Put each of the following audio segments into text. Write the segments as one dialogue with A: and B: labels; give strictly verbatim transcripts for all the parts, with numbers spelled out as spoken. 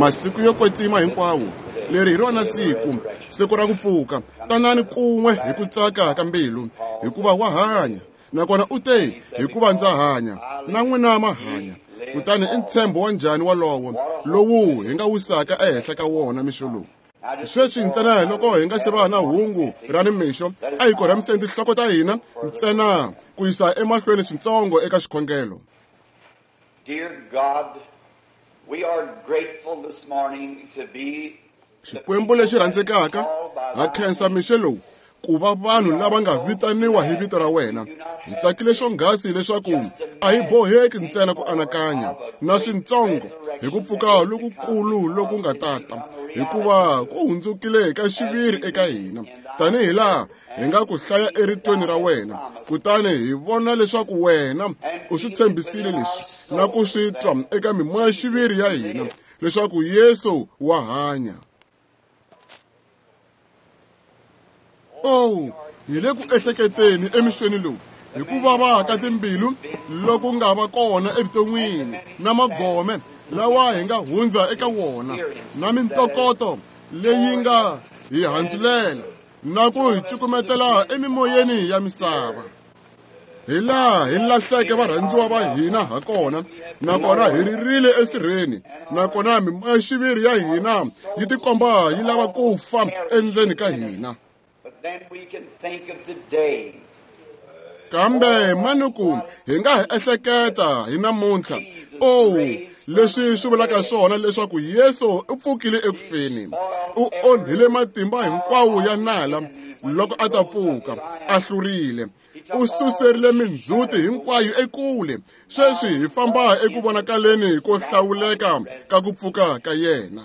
A: Masiku yo kwetsima hinkwawo, leri hi rona siku, siku ra ku pfuka. Tanani kun'we hi ku tsaka ka mbilu, hikuva wa hanya. Nakona u te, hikuva ndza hanya, na n'wina ma hanya. Kutani i ntshembo wa njhani walowo lowu hi nga wisaka ehenhla ka wona mixo lowu. Sweswi ntsena loko hi nga se va na hungu ra nimixo, a hi korhamiseni tinhloko ta hina ntsena ku yisa emahlweni swintsongo eka xikhongelo.
B: Dear God, we are grateful this morning to be
A: Xikwembu lexi rhandzekaka, ha khensa mixo lowu ku va vanhu lava nga vitaniwa hi vito ra wena. Hi tsakile swonghasi leswaku a hi boheki ntsena ku anakanya na swintsongo hi ku pfuka lokukulu loku nga tata, hikuva ku hundzukile ka xiviri eka hina, tanihi laha hi nga ku hlaya eritweni ra wena. Kutani hi vona leswaku wena u swi tshembisile leswi na ku swi twa eka mimoya-xiviri ya hina leswaku Yesu wa hanya. Oh, hi le ku ehleketeni emixweni lowu hi ku vava ka timbilu loku nga va kona evuton'wini, na magome lawa hi nga hundza eka wona, na mintokoto leyi nga hi handzulela na ku hi cukumetela emimoyeni ya misava. Hi laha hi lahleke varhandziwa va hina ha kona, nakona hi ririle esirheni, nakona mimoya-xiviri ya hina yi tikomba yi lava ku fa endzeni ka hina.
B: Then we can think of today.
A: Kambe manuku hi nga hi ehleketa hi namuntlha. Oh, leswi swi vulaka swona leswaku Yesu u pfukile ekufeni. U onhile matimba hinkwawo ya nala loko a ta pfuka, a hlurile. U suserile mindzhuti hinkwayo ekule. Sweswi hi famba eku vonakaleni ko hlawuleka ka ku pfuka ka yena.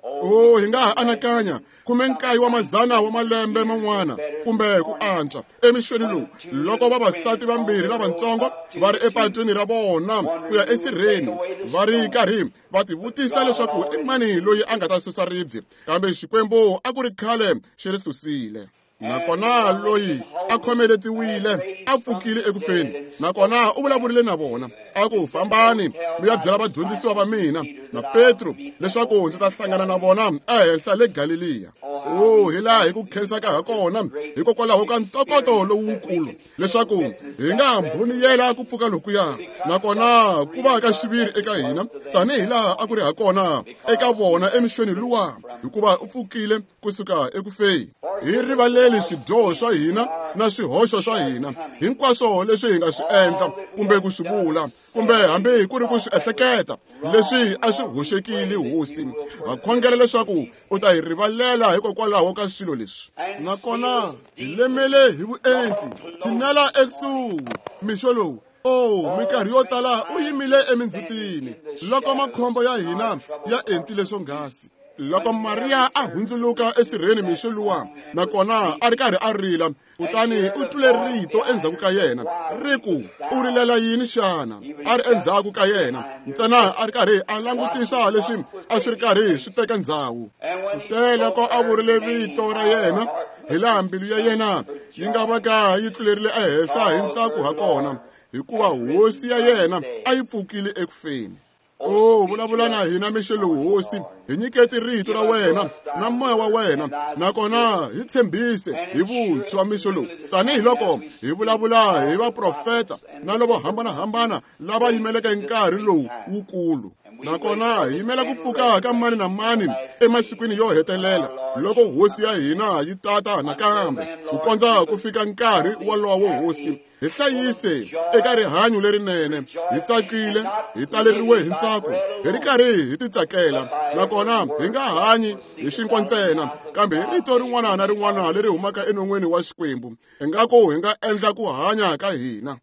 A: Oh, hi nga ha anakanya khume nkaye wa mazana wa malembe man'wana kumbe ku antswa emixweni lowu, loko vavasati vambirhi lavatsongo va ri epatwini ra vona ku ya esirheni, va ri karhi va tivutisa leswaku i mani loyi a nga ta susa ribye, kambe Xikwembu a ku ri khale xi ri susile. Nakona loyi a khomeletiwile a pfukile ekufeni, nakona u vulavurile na vona a ku, fambani mi ya byela vadyondzisiwa va mina na Petro leswaku ndzi ta hlangana na vona ehenhla le Galeliya. Oh, hi laha hi ku khensaka ha kona hikokwalaho ka ntokoto lowukulu leswaku hi nga mbhoniyela ku pfuka lokuya, nakona ku va ka xiviri eka hina tanihi laha a ku ri ha kona eka vona emixweni luwa, hikuva u pfukile kusuka ekufeni. Hi rivaleli swidyoho swa hina na swihoxo swa hina hinkwaswo leswi hi nga swi endla kumbe ku swi vula kumbe hambi ku ri ku swi ehleketa leswi a swi hoxekile. Hosi, ha khongela leswaku u ta hi rivalela hikokwalaho ka swilo leswi, nakona hi lemele hi vuenti. Tshinela ekusuhi mixo lowu. Oh, minkarhi yo tala u yimile emindzhutini loko makhombo ya hina ya entile swonghasi. Loko Mariya a hundzuluka esirheni mixo luwa, nakona a ri karhi a rila, kutani u twile rito endzhaku ka yena ri ku, u rilela yini xana? A ri endzhaku ka yena ntsena a ri karhi a langutisa leswi a swi ri karhi swi teka ndzhawu. Kute loko a vurile vito ra yena, hi laha mbilu ya yena yi nga va ka yi tlulerile ehenhla hi ntsako ha kona, hikuva hosi ya yena a yi pfukile ekufeni. Oh, vulavula na hina mixo lowu, Hosi. Hi nyiketi rito ra wena na moya wa wena, nakona hi tshembise hi vuntshwa mixo lowu, tanihiloko hi vulavula hi vaprofeta na lavo hambanahambana lava yimeleke nkarhi lowu wukulu. Nakona hi yimela ku pfuka ka mani na mani emasikwini yo hetelela loko hosi ya hina yi tata nakambe, ku kondza ku fika nkarhi wolowo. Hosi, hi hlayise eka rihanyo lerinene, hi tsakile, hi taleriwe hi ntsako, hi ri karhi hi titsakela, nakona hi nga hanyi hi xinkwa ntsena, kambe hi rito rin'wana na rin'wana leri humaka enon'weni wa Xikwembu, ingaku hi nga endla ku hanya ka hina.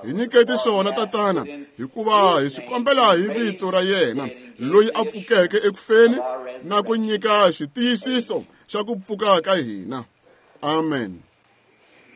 A: Hi nyiketi swona, Tatana, hikuva hi swi kombela hi vito ra yena loyi a pfukeke ekufeni na ku nyika xitiyisiso xa ku pfuka ka hina. Amen.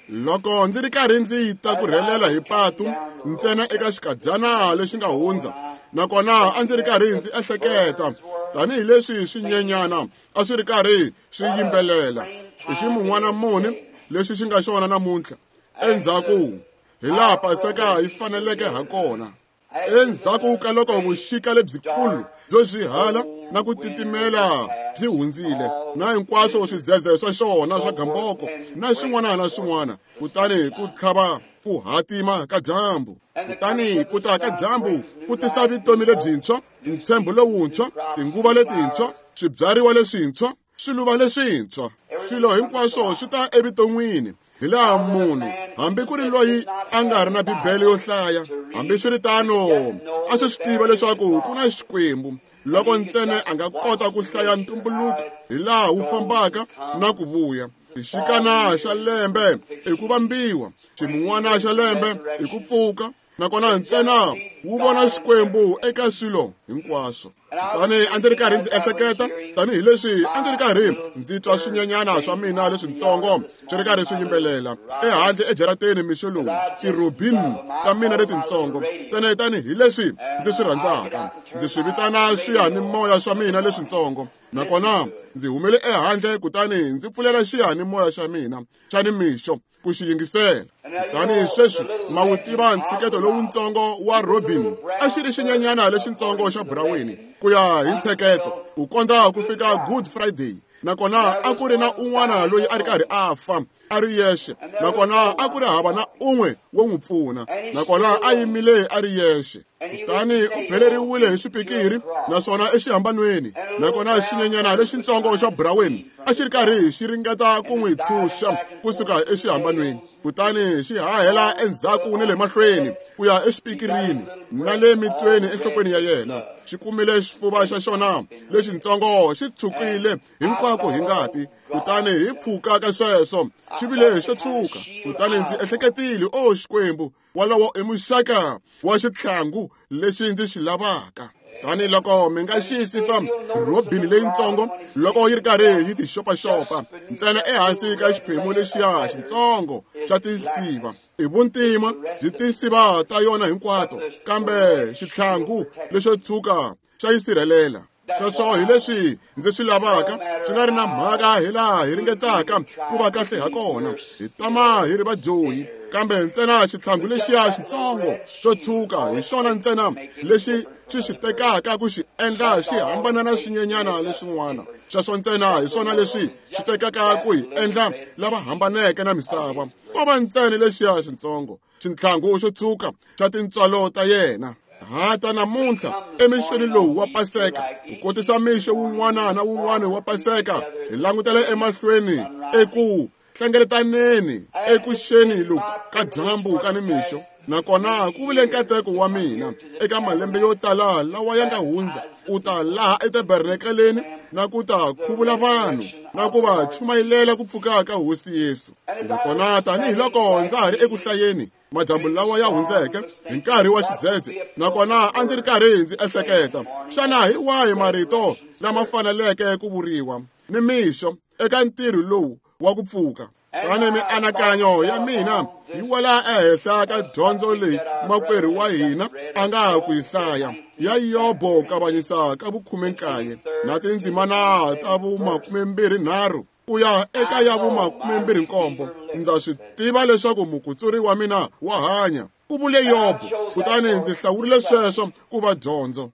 A: Loko ndzi ri karhi ndzi ta ku rhelela hi patu ntsena eka xikadyana lexi nga hundza, nakona a ndzi ri karhi ndzi ehleketa tanihileswi swinyenyana a swi ri karhi swi yimbelela i ximun'wana muni lexi xi nga xona namuntlha endzhaku hi laha Paseka yi faneleke ha kona. Endzhaku ka loko vuxika lebyikulu byo swihala na ku titimela byi hundzile, na hinkwaswo swidzedze swa xona swa gamboko na swin'wana na swin'wana, kutani ku tlhava ku hatima ka dyambu. Kutani ku ta ka dyambu ku tisa vutomi lebyintshwa, ntshembo lowuntshwa, tinguva letintshwa, swibyariwa leswintshwa, swiluva leswintshwa. Swilo hinkwaswo swi ta evuton'wini hi laha munhu, hambi ku ri loyi a nga ri na Bibele yo hlaya, hambiswiritano a swi swi tiva leswaku ku na Xikwembu loko ntsena a nga kota ku hlaya ntumbuluko hi laha wu fambaka na ku vuya. Xikana xa lembe i ku vambiwa, ximun'wana xa lembe i ku pfuka, nakona ntsena wu vona Xikwembu eka swilo hinkwaswo. Kutani a ndzi ri karhi ndzi ehleketa, tanihileswi a ndzi ri karhi ndzi twa swinyenyana swa mina leswintsongo swi ri karhi swi yimbelela ehandle ejarateni mixo lowu, tirobin ta mina letintsongo, ntsena tanihileswi ndzi swi rhandzaka, ndzi swi vitana swiyanimoya swa mina leswintsongo. Nakona ndzi humele ehandle kutani ndzi pfulela xiyanimoya xa mina xa nimixo ku xi yingisela. Kutani sweswi ma wu tiva ntsheketo lowuntsongo wa Robin, a xi ri xinyenyana lexintsongo xa buraweni ku ya hi ntsheketo, ku kondza ku fika Good Friday. Nakona a ku ri na un'wana loyi a ri karhi a fa a ri yexe, nakona a ku ri hava na un'we wo n'wi pfuna, nakona a yimile a ri yexe. Kutani u beleriwile hi swipikiri naswona exihambanweni, nakona xinyenyana lexintsongo xa buraweni a xi ri karhi xi ringeta ku n'wi tshunxa kusuka exihambanweni, kutani xi hahela endzhaku ni le mahlweni ku ya exipikirini na le mitweni enhlokweni ya yena. Xi kumile xifuva xa xona lexintsongo xi tshukile hinkwako hi ngati, kutani hi pfuka ka sweswo xi vile xo tshuka. Kutani ndzi ehleketile, o Xikwembu, walowo i muxaka wa xitlhangu lexi ndzi xi lavaka. Tani loko mi nga xiyisisa robini leyintsongo loko yi ri karhi yi ti xopaxopa ntsena ehansi ka xiphemu lexiya xintsongo xa tinsiva, i vuntima byi tinsiva ta yona hinkwato, kambe xitlhangu lexo tshuka xa yi sirhelela. Sweswo hi leswi ndzi swi lavaka, swi nga ri na mhaka hi laha hi ringetaka ku va kahle ha kona, hi tama hi ri vadyohi, kambe ntsena xitlhangu lexiya xintsongo xo tshuka hi xona ntsena lexi xi xi tekaka ku xi endla xi hambana na swinyenyana leswin'wana. Sweswo ntsena hi swona leswi xi tekaka ku hi endla lava hambaneke na misava, ko va ntsena lexiya xintsongo xintlhangu xo tshuka xa tintswalo ta yena. Hata namuntlha emixweni lowu wa Paseka, ku kotisa mixo wun'wana na wun'wana wa Paseka, hi langutela emahlweni eku hlengeletaneni ekuxeni loku ka dyambu ka nimixo. Nakona ku vile nkateko wa mina eka malembe yo tala lawa ya nga hundza ku ta laha etabernakeleni na ku ta khuvula vanhu na ku va chumayilela ku pfuka ka Hosi Yesu. Nakona tanihiloko ndza ha ri eku hlayeni madyambu lawa ya hundzeke hi nkarhi wa xidzedze, nakona a ndzi ri karhi ndzi ehleketa, xana hi wahi marito lama faneleke ku vuriwa ni mixo eka ntirho lowu wa ku pfuka? Tani mianakanyo ya mina yi wela ehenhla ka dyondzo leyi makwerhu wa hina a nga ku yi hlaya ya Yobo kavanyisa ka vukhume-nkaye na tindzimana ta vumakumembirhi-nharhu ku ya eka ya vumakumembirhi-nkombo. Ndza swi tiva leswaku mukutsuri wa mina wa hanya, ku vule Yobo, kutani ndzi hlawurile sweswo ku va dyondzo.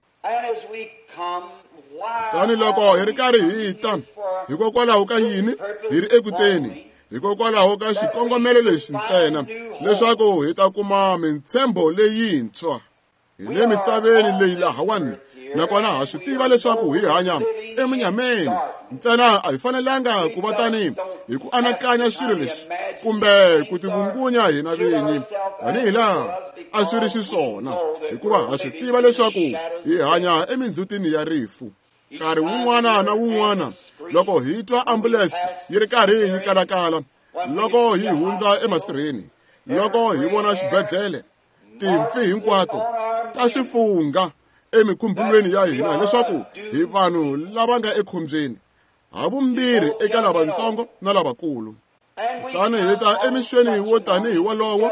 A: Tani loko hi ri karhi hi ta, hikokwalaho ka yini hi ri ekuteni? Hikokwalaho ka xikongomelo lexi ntsena, leswaku hi ta kuma mintshembo leyintshwa. Hi le misaveni leyi lahawani, nakona ha swi tiva leswaku hi hanya emunyameni. Ntsena a hi fanelanga ku va tani hi ku anakanya swilo leswi kumbe ku tivungunya hina vinyi tanihi laha a swi ri xiswona, hikuva ha swi tiva leswaku hi hanya emindzhutini ya rifu. Nkarhi wun'wana na wun'wana loko hi twa ambulense yi ri karhi yi kalakala, loko hi hundza emasirheni, loko hi vona xibedhlele, timpfi hinkwato ta swi fungha emikhumbulweni ya hina leswaku hi vanhu lava nga ekhombyeni, havumbirhi eka lavatsongo na lavakulu. Kutani hi ta emixweni wo tanihi wolowo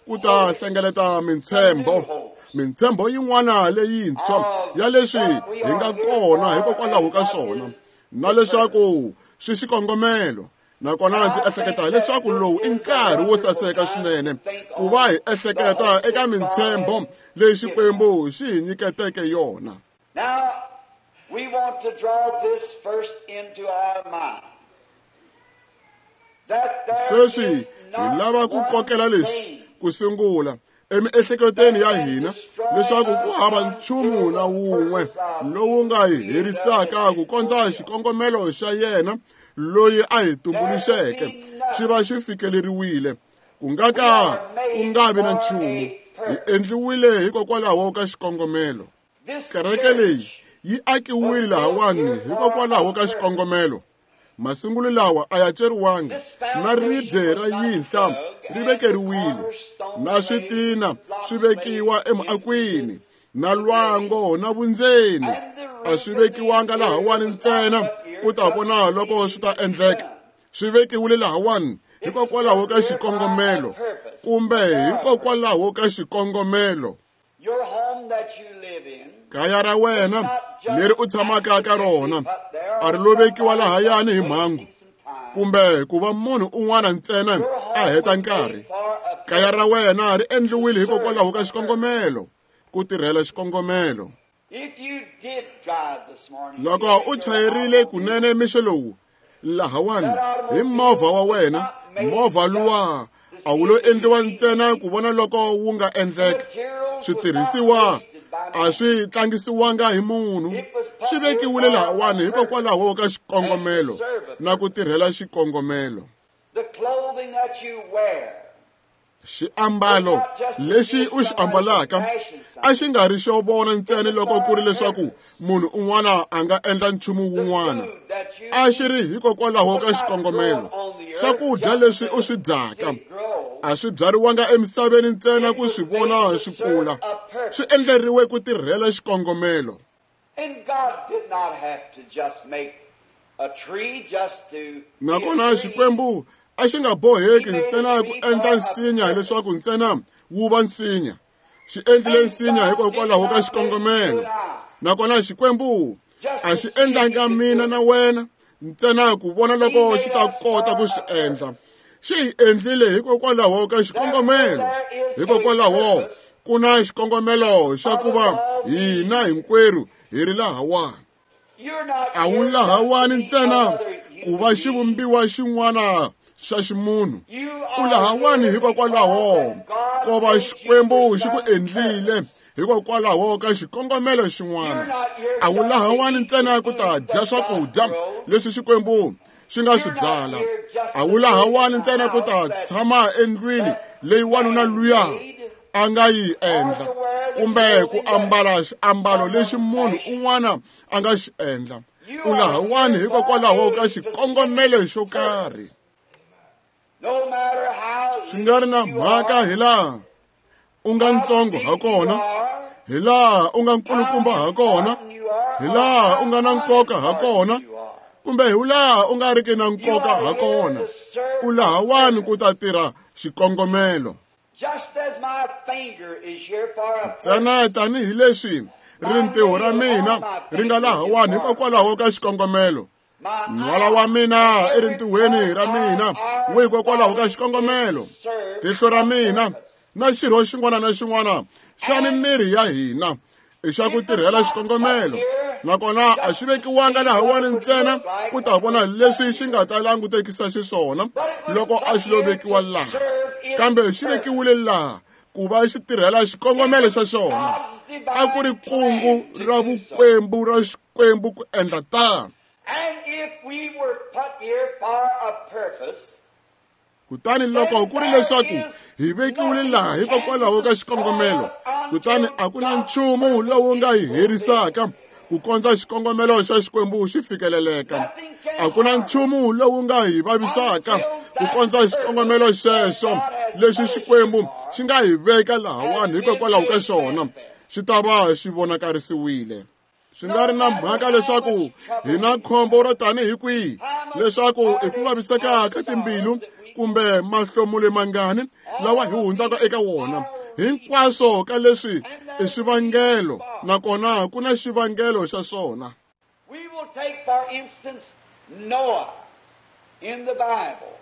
A: ku ta hlengeleta mintshembo, mintshembo yin'wana leyintshwa ya leswi hi nga kona hikokwalaho ka swona, na leswaku swi xikongomelo Nakona ndzi ehleketa leswaku lowu i nkarhi wo saseka swinene ku va hi ehleketa eka mintshembo leyi Xikwembu xi hi nyiketeke yona.
B: Now, we want to draw this first into our mind. That there
A: Sweswi
B: is
A: hi lava
B: not
A: ku kokela
B: one
A: leswi
B: thing
A: ku sungula emiehleketweni ya hina leswaku ku hava nchumu na wun'we lowu nga hi herisaka ku kondza xikongomelo xa yena loyi a hi tumbuluxeke xi va xi fikeleriwile. Ku nga ka ku nga vi na nchumu. Hi endliwile hikokwalaho ka xikongomelo.
B: This
A: Kereke leyi
B: church
A: yi akiwile lahawani hikokwalaho ka xikongomelo. Masungulo lawa a ya ceriwanga, na ribye ra yinhla ri vekeriwile, na switina swi vekiwa emuakwini, na lwango na vundzeni a swi vekiwanga lahawani ntsena ku ta vona loko swi ta endleka. Swi vekiwile lahawani hikokwalaho ka xikongomelo, kumbe hikokwalaho ka xikongomelo.
B: Your home that you live in
A: Kaya ra wena leri u tshamaka ka rona a ri lo vekiwa lahayani hi mhangu kumbe ku va munhu un'wana ntsena a heta nkarhi. Kaya ra wena ri endliwile hikokwalaho ka xikongomelo, ku tirhela xikongomelo.
B: If you did drive this morning,
A: Loko u chayerile kunene mixo lowu lahawani hi movha wa wena, movha luwa a wu lo endliwa ntsena ku vona loko wu nga endleka. Switirhisiwa a swi tlangisiwanga hi munhu, swi vekiwile lahawani hikokwalaho ka xikongomelo na ku tirhela xikongomelo.
B: the clothing that you wear
A: Xiambalo lexi u xi ambalaka a xi nga ri xo vona ntsena loko ku ri leswaku munhu un'wana a nga endla nchumu wun'wana.
B: food that you
A: A xi ri hikokwalaho ka xikongomelo. Swakudya leswi u swi dyaka
B: grow
A: a swi byariwanga emisaveni ntsena ku swi vona swi kula, swi endleriwe ku tirhela xikongomelo.
B: And God did not have to just make a tree just to be a
A: Nakona
B: tree.
A: Xikwembu a xi nga boheki ntsena ku endla nsinya leswaku ntsena wu va nsinya. Xi endlile nsinya hikokwalaho ka xikongomelo. Nakona Xikwembu a xi endlanga mina na wena ntsena ku vona loko xi ta kota ku swi endla. Xi hi endlile hikokwalaho ka xikongomelo. Hikokwalaho ku na xikongomelo xa ku va hina hinkwerhu hi ri lahawani.
B: You're not
A: A wu
B: here just to
A: lahawani
B: be
A: ntsena
B: another
A: ku va
B: human being.
A: xivumbiwa xin'wana xa ximunhu.
B: You
A: U
B: are
A: lahawani
B: here
A: hikokwalaho
B: because God
A: ko va
B: made you
A: Xikwembu
B: for
A: xi ku
B: some
A: endlile
B: purpose.
A: hikokwalaho ka xikongomelo
B: You're
A: xin'wana.
B: not here
A: A wu
B: just to
A: lahawani
B: eat
A: ntsena
B: the
A: ku ta
B: food
A: dya
B: that God
A: swakudya
B: grows.
A: leswi Xikwembu xi nga swi
B: You're not
A: byala.
B: here just
A: A
B: to
A: wu
B: live in
A: lahawani
B: a
A: ntsena ku ta
B: house that
A: tshama endlwini
B: that
A: leyi wanuna
B: man
A: luya
B: made
A: a nga yi
B: or to
A: endla,
B: wear the
A: kumbe ku
B: clothing that
A: ambala xiambalo lexi
B: someone
A: munhu
B: fashioned.
A: un'wana a nga xi endla.
B: You
A: U
B: are
A: lahawani
B: here for
A: hikokwalaho ka
B: a
A: xikongomelo
B: specific
A: xo karhi.
B: purpose. No matter how
A: Swi nga ri na
B: little you
A: mhaka
B: are,
A: hi laha u nga
B: how
A: ntsongo
B: big
A: ha
B: you
A: kona,
B: are,
A: hi laha u nga
B: how
A: nkulukumba ha kona,
B: important you are,
A: hi
B: or
A: laha
B: how
A: u nga na nkoka ha
B: unimportant
A: kona,
B: you are.
A: kumbe hi laha u nga riki na
B: You
A: nkoka
B: are
A: ha
B: here
A: kona.
B: to serve
A: U
B: a
A: lahawani ku
B: purpose.
A: ta tirha xikongomelo.
B: Just as my finger is here for a
A: Ntsena
B: purpose,
A: tanihileswi
B: my
A: rintiho ra
B: nail on
A: mina
B: my
A: ri nga
B: finger is
A: lahawani
B: for a
A: hikokwalaho
B: purpose.
A: ka xikongomelo.
B: My
A: Nhwala wa
B: eye and
A: mina
B: every
A: erintihweni
B: part
A: ra
B: of
A: mina
B: our
A: wu hikokwalaho ka
B: body is to
A: xikongomelo.
B: serve
A: Tihlo ra
B: a
A: mina
B: purpose.
A: na xirho xin'wana na xin'wana xa
B: And
A: mimiri ya hina i xa ku
B: it was
A: tirhela
B: not put
A: xikongomelo.
B: here
A: Nakona a
B: just
A: xi
B: to
A: vekiwanga
B: see what
A: lahawani
B: it would
A: ntsena
B: look like
A: ku ta
B: when it
A: vona
B: was
A: leswi
B: put
A: xi
B: here.
A: nga ta langutekisa xiswona
B: But it was
A: loko a
B: put
A: xi lo
B: here to
A: vekiwa laha.
B: serve its
A: Kambe xi
B: purpose.
A: vekiwile laha ku va xi tirhela
B: It
A: xikongomelo
B: was
A: xa xona.
B: God's
A: A ku ri
B: divine
A: kungu
B: plan to
A: ra
B: do so.
A: vukwembu ra Xikwembu ku endla tano.
B: And if we were put here for a purpose,
A: Kutani loko
B: then
A: ku ri
B: there
A: leswaku
B: is
A: hi vekiwile
B: nothing
A: laha
B: can
A: hikokwalaho ka
B: destroy
A: xikongomelo,
B: us
A: kutani
B: until
A: a ku na
B: God's
A: nchumu
B: purpose
A: lowu nga
B: is
A: hi
B: fulfilled.
A: herisaka ku kondza xikongomelo xa Xikwembu xi fikeleleka.
B: Nothing
A: A
B: can
A: ku na
B: harm us
A: nchumu lowu nga hi vavisaka
B: until
A: ku
B: that
A: kondza xikongomelo
B: purpose that
A: xexo
B: God has
A: lexi
B: put us here
A: Xikwembu
B: for
A: xi nga hi veka
B: has
A: lahawani
B: been
A: hikokwalaho ka
B: made
A: xona
B: manifest.
A: xi ta va xi vonakarisiwile. Swi nga ri
B: No
A: na
B: matter
A: mhaka
B: how
A: leswaku
B: much
A: hi na
B: trouble we
A: khombo
B: have,
A: ro tanihi kwihi,
B: how much
A: leswaku i ku
B: heartache
A: vaviseka
B: or
A: ka timbilu
B: sorrows that we go
A: kumbe
B: through,
A: mahlomulo mangani lawa hi
B: all of
A: hundzaka
B: these
A: eka wona,
B: are reasons,
A: hinkwaswo ka leswi
B: and
A: i
B: there's a reason
A: swivangelo,
B: for.
A: nakona ku na xivangelo xa swona.
B: We will take, for instance, Noah. In the Bible,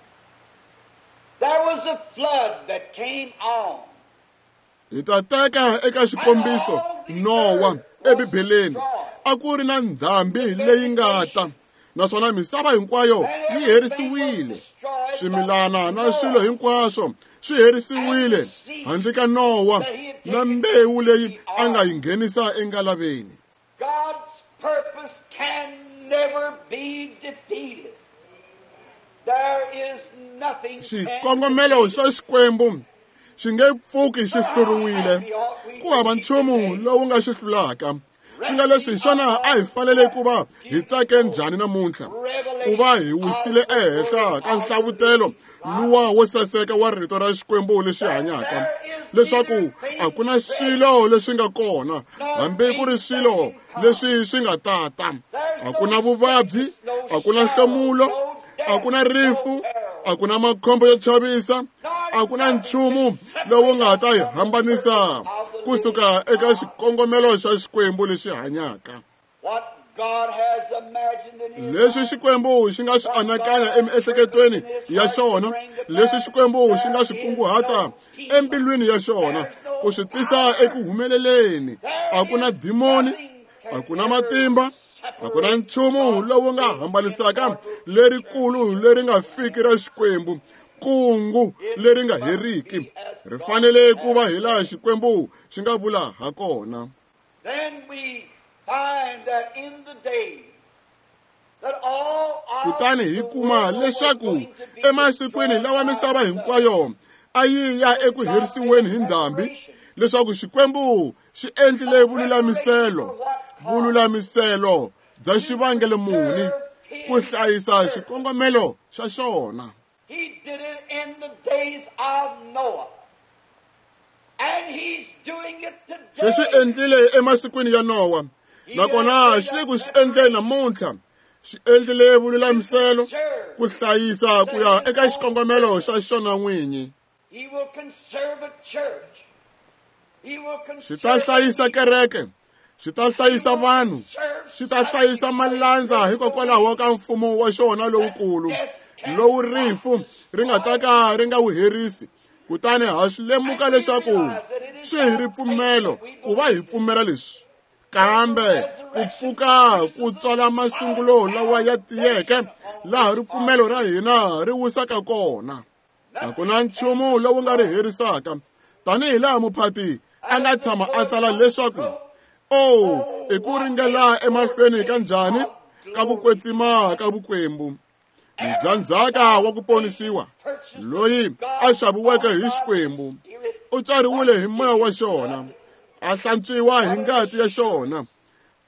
B: there was a flood that came on.
A: Hi ta teka eka xikombiso Nowa eBibeleni a ku ri na ndhambi leyi nga ta naswona misava hinkwayo yi herisiwile. Swimilana na swilo hinkwaswo swi herisiwile handle ka Nowa na mbewu leyi a nga yi nghenisa engalaveni.
B: God's purpose can never be defeated. There is nothing.
A: Xikongomelo xa Xikwembu xi nge pfuki xi hluriwile. Ku hava nchumu lowu nga xi hlulaka. Swi nga leswi hi swona a hi fanele ku va hi tsake njhani namuntlha ku va hi wisile ehenhla ka nhlavutelo luwa wo saseka wa rito ra Xikwembu lexi hanyaka, leswaku a ku na swilo leswi nga kona hambi ku ri swilo leswi swi nga tata. A ku na vuvabyi, a ku na nhlomulo, a ku na rifu, a ku na makhombo yo chavisa, a ku na nchumu lowu nga ta hi hambanisa kusuka eka xikongomelo xa Xikwembu lexi hanyaka. Leswi Xikwembu xi nga swi anakanya emiehleketweni ya xona, leswi Xikwembu xi nga swi kunguhata embilwini ya xona ku swi tisa eku humeleleni. A ku na dimoni, a ku na matimba, a ku na nchumu lowu nga hambanisaka lerikulu leri nga fiki ra Xikwembu, kungu leri nga heriki. Ri fanele ku va hi laha Xikwembu xi nga vula ha kona. Kutani hi kuma leswaku emasikwini lawa misava hinkwayo a yi ya eku herisiweni hi ndhambi, leswaku Xikwembu xi endlile vululamiselo, vululamiselo bya xivangelo muni ku hlayisa xikongomelo xa xona.
B: He did it in the days of Noah. And he's doing it today.
A: Xi swi endlile emasikwini ya Nowa, nakona xi le ku swi endleni namuntlha. Xi endlile vululamiselo ku hlayisa ku ya eka xikongomelo xa xona n'winyi.
B: He will conserve a church. He will
A: Xi ta hlayisa kereke, xi ta hlayisa vanhu, xi ta hlayisa malandza hikokwalaho ka mfumo wa xona lowukulu lowu rifu ri nga ta ka ri nga wu herisi. Kutani ha swi lemuka leswaku swi hi ripfumelo ku va hi pfumela leswi, kambe ku pfuka ku tswala masungulo lawa ya tiyeke laha ripfumelo ra hina ri wisaka kona. A ku na nchumu lowu nga ri herisaka, tanihi laha muphati a nga tshama a tsala leswaku o i ku ringela emahlweni ka njhani ka ku kwetsima ka vukwembu. Mudyandzhaka wa ku ponisiwa loyi a xaviweke hi Xikwembu u tswariwile hi moya wa xona, a hlantswiwa hi ngati ya xona.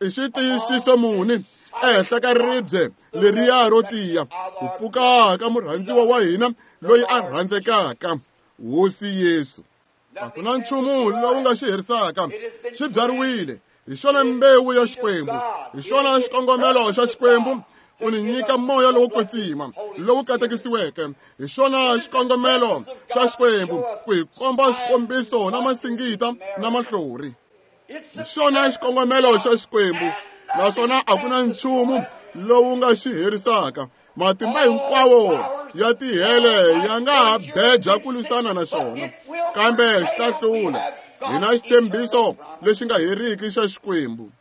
A: I xitiyisiso muni ehenhla ka ribye leriya ro tiya ku pfuka ka murhandziwa wa hina loyi a rhandzekaka, Hosi Yesu. A ku na nchumu lowu nga xi herisaka. Xi byariwile hi xona mbewu ya Xikwembu, hi xona xikongomelo xa Xikwembu ku ni nyika moya lowo kwetsima lowu katekisiweke. Hi xona xikongomelo xa Xikwembu ku hi komba xikombiso na masingita na mahlori. Hi xona xikongomelo xa Xikwembu, naswona a ku na nchumu lowu nga xi herisaka. Matimba hinkwawo ya tihele ya nga ha beja ku lwisana na xona, kambe xi ta hlula. Hi na xitshembiso lexi nga heriki xa Xikwembu.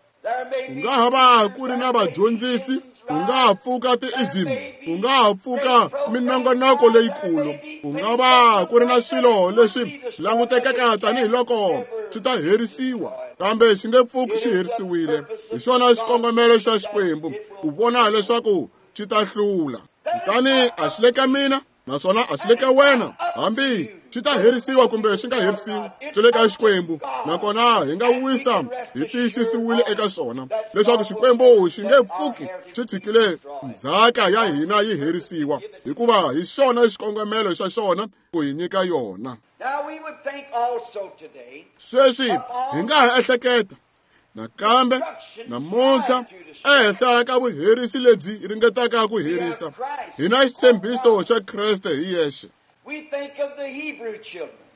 A: Ku nga ha va ku ri na vadyondzisi, ku nga ha pfuka ti-ism, ku nga ha pfuka minongonoko leyikulu, ku nga va ku ri na swilo leswi langutekaka tanihiloko swi ta herisiwa, kambe xi nge pfuki xi herisiwile. Hi xona xikongomelo xa Xikwembu ku vona leswaku xi ta hlula. Kutani a xi le ka mina naswona a xi le ka wena, hambi xi ta herisiwa kumbe xi nga herisiwi, xi le ka Xikwembu. Nakona hi nga wisa hi tiyisisiwile eka xona leswaku Xikwembu xi nge pfuki xi tshikile ndzhaka ya hina yi herisiwa, hikuva hi xona xikongomelo xa xona ku hi nyika yona. Sweswi hi nga ha ehleketa nakambe namuntlha ehenhla ka vuherisi lebyi ringetaka ku herisa, hi na xitshembiso xa Kreste hi yexe.
B: We think of the Hebrew children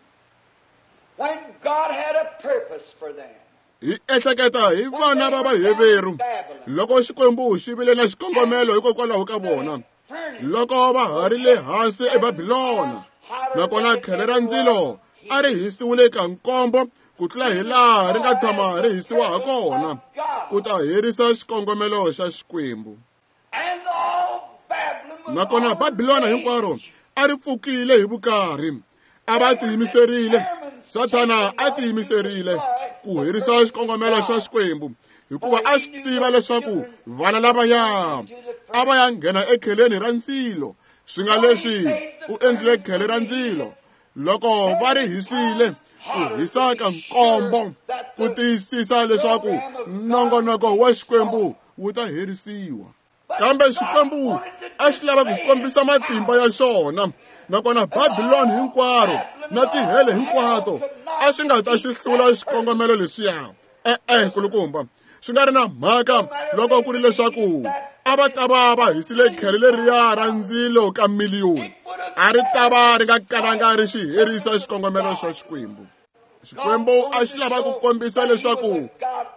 B: when God had a purpose for them.
A: Hi ehleketa hi vana va Vaheveru loko Xikwembu xi vile na xikongomelo hikokwalaho ka vona. loko va ha ri le hansi eBabilona, nakona khele ra ndzilo a ri hisiwile ka nkombo ku tlula hi laha ri nga tshama ri hisiwa ha kona, ku ta herisa xikongomelo xa Xikwembu. Nakona Babilona hinkwaro a ri pfukile hi vukarhi, a va tiyimiserile, Sathana a tiyimiserile ku herisa xikongomelo xa Xikwembu, hikuva a swi tiva leswaku vana lavaya a va ya nghena ekheleni ra ndzilo. Swi nga leswi u endlile khele ra ndzilo loko va ri hisile ku hisa ka nkombo ku tiyisisa leswaku nongonoko wa Xikwembu wu ta herisiwa. Kambe Xikwembu a xi lava ku kombisa matimba ya xona, nakona Babiloni hinkwaro na tihele hinkwato a swi nga ta xi hlula xikongomelo lexiya. E-e, nkulukumba, swi nga ri na mhaka loko ku ri leswaku a va ta va va hisile khele leriya ra ndzilo ka miliyoni, a ri ta va ri nga kalanga ri xi herisa xikongomelo xa Xikwembu. Xikwembu a xi lava ku kombisa leswaku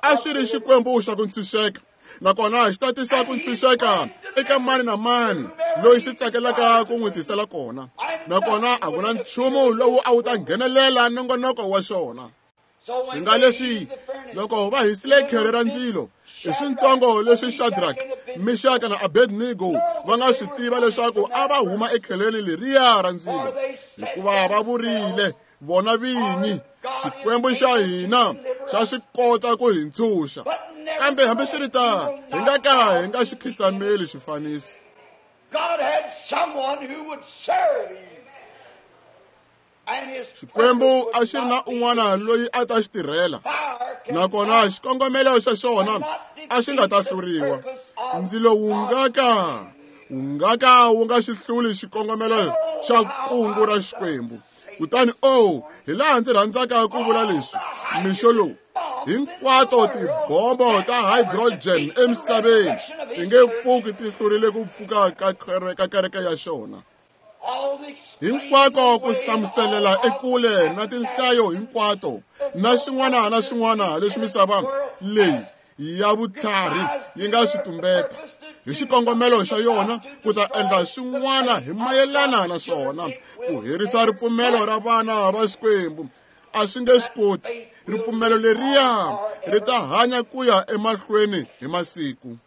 A: a xi ri Xikwembu xa ku ntshunxeka, nakona xi ta tisa ku ntshunxeka eka mani na mani loyi xi tsakelaka ku n'wi tisela kona, nakona a ku na nchumu lowu a wu ta nghenelela nongonoko wa xona. Swi nga leswi loko va hisile khele ra ndzilo, i swintsongo leswi Shadrach, Meshach na Abednego va nga swi tiva leswaku a va huma ekheleni leriya ra ndzilo, hikuva va vurile vona vinyi, Xikwembu xa hina xa swi kota ku hi ntshunxa. Kambe hambiswiritano hi nga ka hi nga xi khisameli xifaniso.
B: God had someone who would serve him.
A: Xikwembu a xi ri na un'wana loyi a ta xi tirhela, nakona xikongomelo xa xona a xi nga ta hluriwa. Ndzilo wu nga ka wu nga ka wu nga xi hluli xikongomelo xa kungu ra Xikwembu. Kutani oh, hi laha ndzi rhandzaka ku vula leswi mixo lowu, hinkwato tibombo ta hydrogen emisaveni ti nge pfuki ti hlurile ku pfuka ka ka kereke ya xona. Hinkwako ku hlamuselela ekule na tinhlayo hinkwato na xin'wana na xin'wana leswi misava leyi ya vutlhari yi nga swi tumbeta hi xikongomelo xa yona ku ta endla swin'wana hi mayelana na swona ku herisa ripfumelo ra vana va Xikwembu. A swi nge swi koti. Ripfumelo leriya ri ta hanya ku ya emahlweni hi masiku.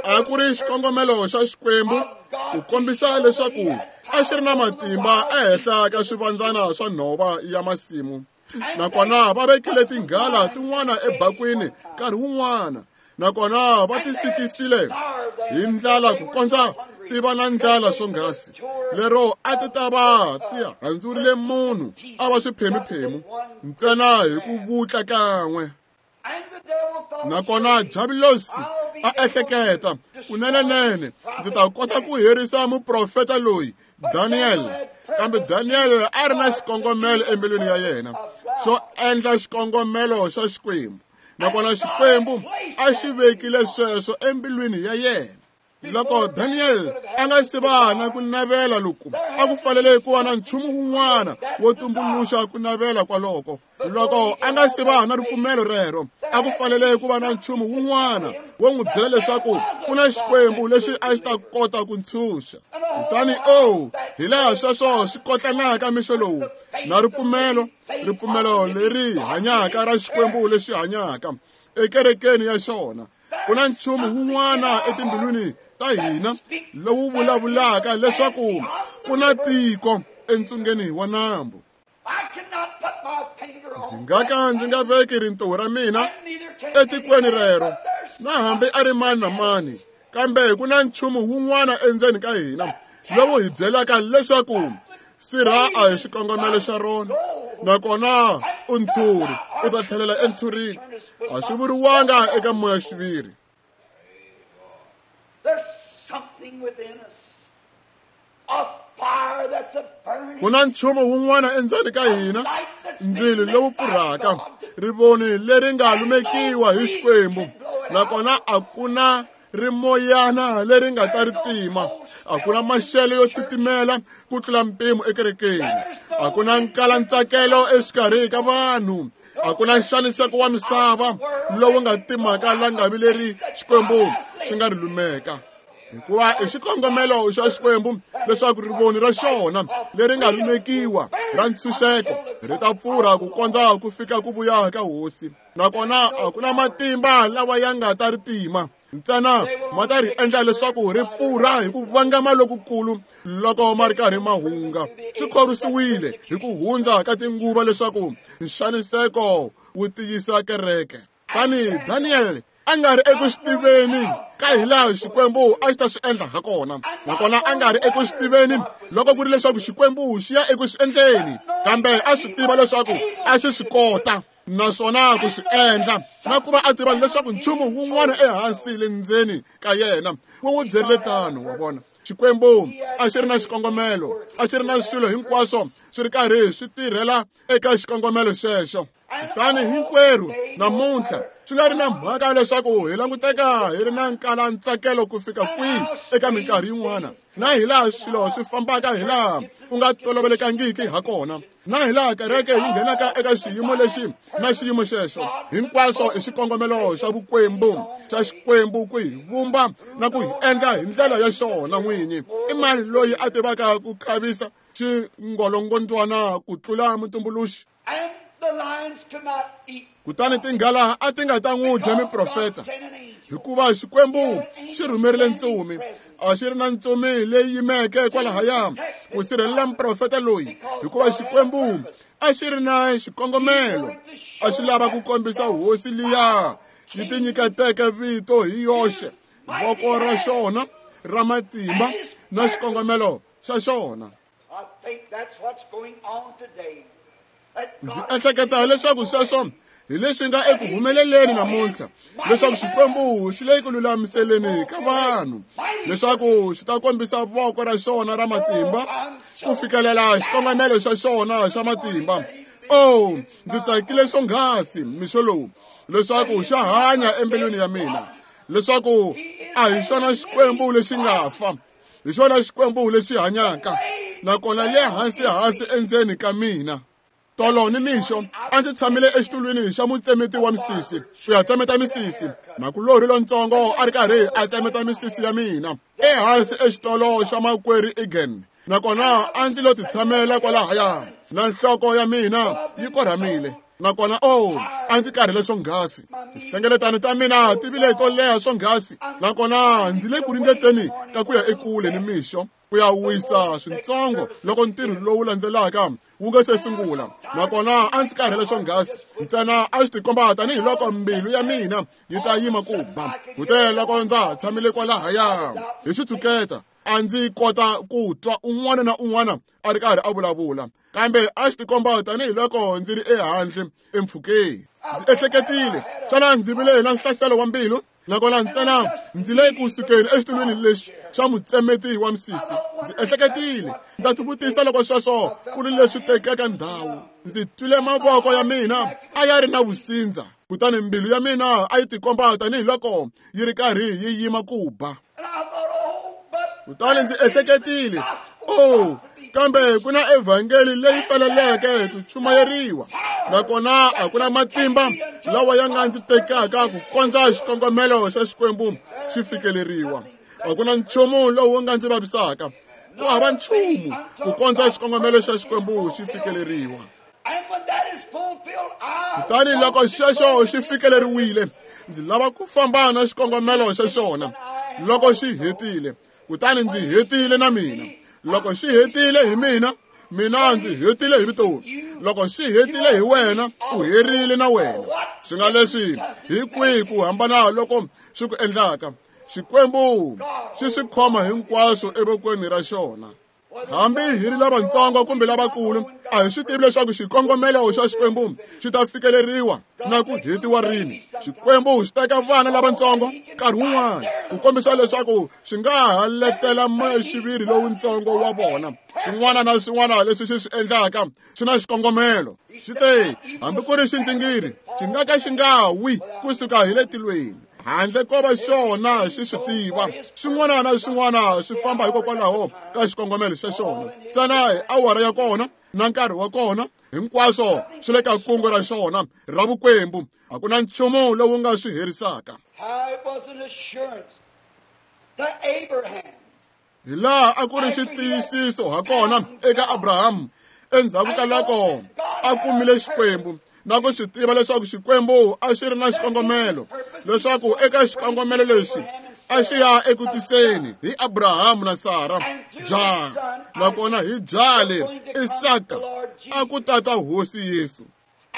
A: A ku ri xikongomelo xa Xikwembu ku kombisa leswaku a xi ri na matimba ehenhla ka swivandzana swa nhova ya masimu, nakona va vekile tinghala tin'wana ebakwini nkarhi wun'wana, nakona va ti sikisile hi ndlala ku kondza ti va na ndlala swonghasi lero a ti ta va ti handzurile munhu a va swiphemuphemu ntsena hi ku vutla kan'we. Nakona Diabulosi a ehleketa, kunenenene ndzi ta kota ku herisa muprofeta loyi Daniel. Kambe Daniel a ri na xikongomelo embilwini ya yena xo endla xikongomelo xa Xikwembu, nakona Xikwembu a xi vekile sweswo embilwini ya yena. Loko Daniel a nga si va na ku navela loku, a ku fanele ku va na nchumu wun'wana wo tumbuluxa ku navela kwaloko. Loko a nga si va na ripfumelo rero, a ku fanele ku va na nchumu wun'wana wo n'wi byela leswaku ku na Xikwembu lexi a xi ta kota ku ntshunxa. Kutani oh, hi laha sweswo swi kotlanaka mixo lowu na ripfumelo, ripfumelo leri hanyaka ra Xikwembu lexi hanyaka ekerekeni ya xona. Ku na nchumu wun'wana etimbilwini ta hina lowu vulavulaka leswaku ku na tiko entsungeni wa nambu. Ndzi nga ka ndzi nga veki rintiho ra mina etikweni rero, na hambi a ri mani na mani, kambe ku na nchumu wun'wana endzeni ka hina lowu hi byelaka leswaku sirha a hi xikongomelo xa rona, nakona u ntshuri, u ta tlhelela entshurini. A swi vuriwanga eka moya xiviri. Ku na nchumu wun'wana endzeni ka hina, ndzilo lowu pfurhaka, rivoni leri nga lumekiwa hi Xikwembu, nakona a ku na rimoyana leri nga ta ri tima. A ku na maxelo yo titimela ku tlula mpimo ekerekeni, a ku na nkalantsakelo exikarhi ka vanhu, a ku na nxaniseko wa misava lowu nga timaka langavi leri Xikwembu xi nga ri lumeka. Hikuva i xikongomelo xa Xikwembu leswaku rivoni ra xona leri nga lumekiwa ra ntshunxeko ri ta pfurha ku kondza ku fika ku vuya ka hosi. Nakona a ku na matimba lawa ya nga ta ri tima, ntsena ma ta ri endla leswaku ri pfurha hi ku vangama lokukulu loko ma ri karhi ma hunga. Swi khorwisiwile hi ku hundza ka tinguva leswaku nxaniseko wu tiyisa kereke. Tani Daniel a nga ri eku swi tiveni ka hilaha Xikwembu a xi ta swi endla ha kona, nakona a nga ri eku swi tiveni loko ku ri leswaku Xikwembu xi ya eku swi endleni, kambe a swi tiva leswaku a xi swi kota naswona ku swi endla, na ku va a tiva leswaku nchumu wun'wana ehansi le ndzeni ka yena wu n'wi byerile tano. Wa vona, Xikwembu a xi ri na xikongomelo, a xi ri na swilo hinkwaswo swi ri karhi swi tirhela eka xikongomelo xexo. Kutani hinkwerhu namuntlha swi nga ri na mhaka leswaku hi languteka hi ri na nkalantsakelo ku fika kwihi eka minkarhi yin'wana, na hilaha swilo swi fambaka hilaha ku nga tolovelekangiki ha kona, na hilaha kereke yi nghenaka eka xiyimo lexi na xiyimo xexo, hinkwaswo i xikongomelo xa vukwembu xa Xikwembu ku hi vumba na ku hi endla hi ndlela ya xona n'winyi. I mani loyi a tivaka ku khavisa xingolongondzwana ku tlula mutumbuluxi? Kutani tinghala a ti nga ta n'wi dya miprofeta, hikuva Xikwembu xi rhumerile ntsumi. A xi ri na ntsumi leyi yimeke kwalahaya ku sirhelela muprofeta loyi, hikuva Xikwembu a xi ri na xikongomelo. A xi lava ku kombisa hosi liya yi tinyiketeke vito hi yoxe, voko ra xona ra matimba na xikongomelo xa xona. Ndzi ehleketa leswaku sweswo hi leswi nga eku humeleleni namuntlha, leswaku Xikwembu xi le ku lulamiseleni ka vanhu leswaku xi ta kombisa voko ra xona ra matimba ku fikelela xikongomelo xa xona xa matimba. Oh, ndzi tsakile swonghasi mixo lowu leswaku xa hanya embilwini ya mina, leswaku a hi xona Xikwembu lexi nga fa, hi xona Xikwembu lexi hanyaka, nakona le hansi hansi endzeni ka mina. Tolo ni mixo a ndzi tshamile exitulwini xa mutsemeti wa misisi ku ya tsemeta misisi. Makulorhi lontsongo a ri karhi a tsemeta misisi ya mina ehansi exitolo xa makwerhu Egan, nakona a ndzi lo titshamela kwalahaya na nhloko ya mina yi korhamile, nakona oh, a ndzi karhele swonghasi. Tinhlengeletano ta mina ti vile to leha swonghasi, nakona ndzi le ku ringeteni ka ku ya ekule ni mixo ku ya wisa swintsongo loko ntirho lowu landzelaka wu nga se sungula. Nakona a ndzi karhele swonghasi, ntsena a swi tikomba tanihiloko mbilu ya mina yi ta yima ku ba. Kute loko ndza tshamile kwalahaya hi xitshuketa a ndzi kota ku twa un'wana na un'wana a ri karhi a vulavula, kambe a swi tikomba tanihiloko ndzi ri ehandle empfhukeni. Ndzi ehleketile, xana ndzi vile na nhlaselo wa mbilu? Nakona ntsena ndzi le ku sukeni exitulwini lexi xa mutsemeti wa misisi. Ndzi ehleketile, ndza tivutisa loko sweswo ku ri leswi tekaka ndhawu. Ndzi twile mavoko ya mina a ya ri na vusindza, kutani mbilu ya mina a yi tikomba tanihiloko yi ri karhi yi yima ku ba. Kutani ndzi ehleketile, oh, kambe ku na evhangeli leyi faneleke ku chumayeriwa, nakona a ku na matimba lawa ya nga ndzi tekaka ku kondza xikongomelo xa Xikwembu xi fikeleriwa. A ku na nchumu lowu nga ndzi vavisaka, ku hava nchumu ku kondza xikongomelo xa Xikwembu xi fikeleriwa. Kutani loko xexo xi fikeleriwile, ndzi lava ku famba na xikongomelo xa xona loko xi hetile. Kutani ndzi hetile na mina. Loko xi hetile hi mina, mina ndzi hetile hi vutomi. Loko xi hetile hi wena, u herile na wena. Swi nga leswi hi kwihi ku hambana loko swi ku endlaka? Xikwembu xi swi khoma hinkwaswo evokweni ra xona. Hambi hi ri lavatsongo kumbe lavakulu, a hi swi tivi leswaku xikongomelo xa Xikwembu xi ta fikeleriwa na ku hetiwa rini. Xikwembu xi teka vana lavatsongo nkarhi wun'wana ku kombisa leswaku xi nga ha letela moya-xiviri lowuntsongo wa vona. Swin'wana na swin'wana leswi xi swi endlaka swi na xikongomelo. Xi te hambi ku ri xindzingiri xi nga ka xi nga wi kusuka hi le tilweni handle ko va xona xi swi tiva. Xin'wana na xin'wana swi famba hikokwalaho ka xikongomelo xa xona. Ntsena hi awara ya kona na nkarhi wa kona, hinkwaswo swi le ka kungu ra xona ra vukwembu. A ku na nchumu lowu nga swi herisaka.
B: How it was an assurance To Abraham.
A: Hi laha a ku ri xitiyisiso ha kona eka Abrahamu endzhaku ka loko a kumile Xikwembu na ku swi tiva leswaku Xikwembu a xi ri na xikongomelo, leswaku eka xikongomelo lexi a xi ya eku tiseni hi Abrahamu na Sara jaha, nakona hi jaha leri Isaka a ku tata Hosi Yesu.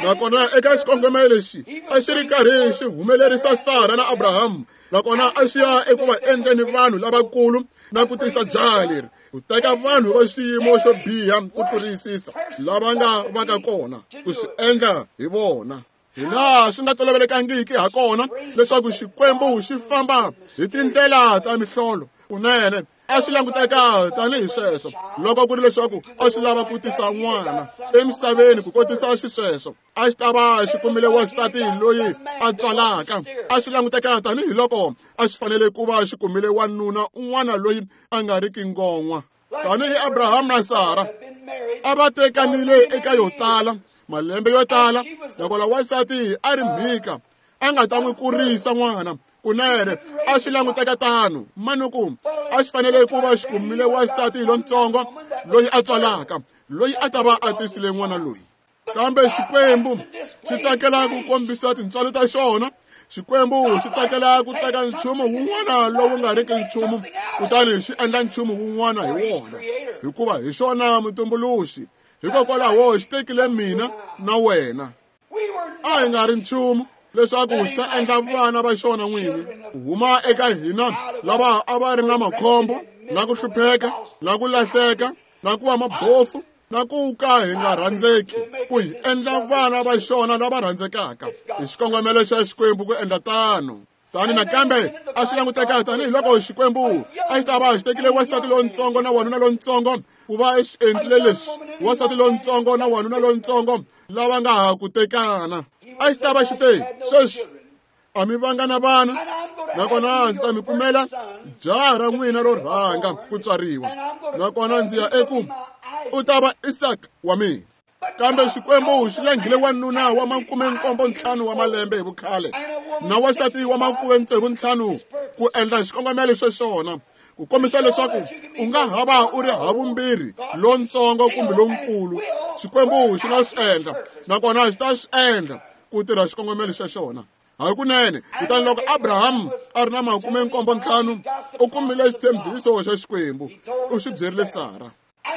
A: Nakona eka xikongomelo lexi a xi ri karhi xi humelerisa Sara na Abrahamu, nakona a xi ya eku va endleni vanhu lavakulu na ku tisa jaha leri, ku teka vanhu va xiyimo xo biha ku tlurisisa lava nga va ka kona ku swi endla hi vona. Hi laha swi nga tolovelekangiki ha kona leswaku Xikwembu xi famba hi tindlela ta mihlolo kunene a swi languteka tanihi sweswo loko ku ri leswaku a swi lava ku tisa n'wana emisaveni ku kotisa xisweswo a xi ta va xi kumile wansati loyi a tswalaka. A swi languteka tanihiloko a xi fanele ku va xi kumile wanuna un'wana loyi a nga riki ngon'wa, tanihi Abrahamu na Sara a va tekanile eka yo tala malembe yo tala, nakona wansati a ri mhika a nga ta n'wi kurisa n'wana. Kunene a swi languteka tano manuku a xi fanele ku va xi kumile wansati lontsongo loyi a tswalaka, loyi a ta va a tisile n'wana loyi. Kambe Xikwembu xi tsakela ku kombisa tintswalo ta xona. Xikwembu xi tsakela ku teka nchumu wun'wana lowu nga riki nchumu kutani xi endla nchumu wun'wana hi wona, hikuva hi xona mutumbuluxi. Hikokwalaho xi tekile mina na wena, a hi nga ri nchumu, leswaku xi ta endla vana va xona n'wini ku huma eka hina lava a va ri na makhombo na ku hlupheka na ku lahleka na ku va mabofu na ku ka hi nga rhandzeki, ku hi endla vana va xona lava rhandzekaka. Hi xikongomelo xa Xikwembu ku endla tano. Tani nakambe a swi languteka tanihiloko Xikwembu a xi ta va xi tekile wansati lontsongo na wanuna lontsongo ku va xi endlile leswi, wansati lontsongo na wanuna lontsongo lava nga ha ku tekana. A xi ta va xi te, sweswi a mi vanga na vana, nakona ndzi ta mi kumela jaha ra n'wina ro rhanga ku tswariwa, nakona ndzi ya eku u ta va Isaka wa mina. Kambe Xikwembu xi langhile wanuna wa makume nkombo ntlhanu wa malembe hi vukhale na wansati wa makume tsevu ntlhanu ku endla xikongomelo xa xona, ku kombisa leswaku u nga ha va u ri havumbirhi lontsongo kumbe lonkulu. Xikwembu xi nga swi endla, nakona xi ta swi endla ku tirha xikongomelo xa xona hakunene. Kutani loko Abrahamu a ri na makume nkombo ntlhanu u kumile xitshembiso xa Xikwembu, u xi byerile Sara.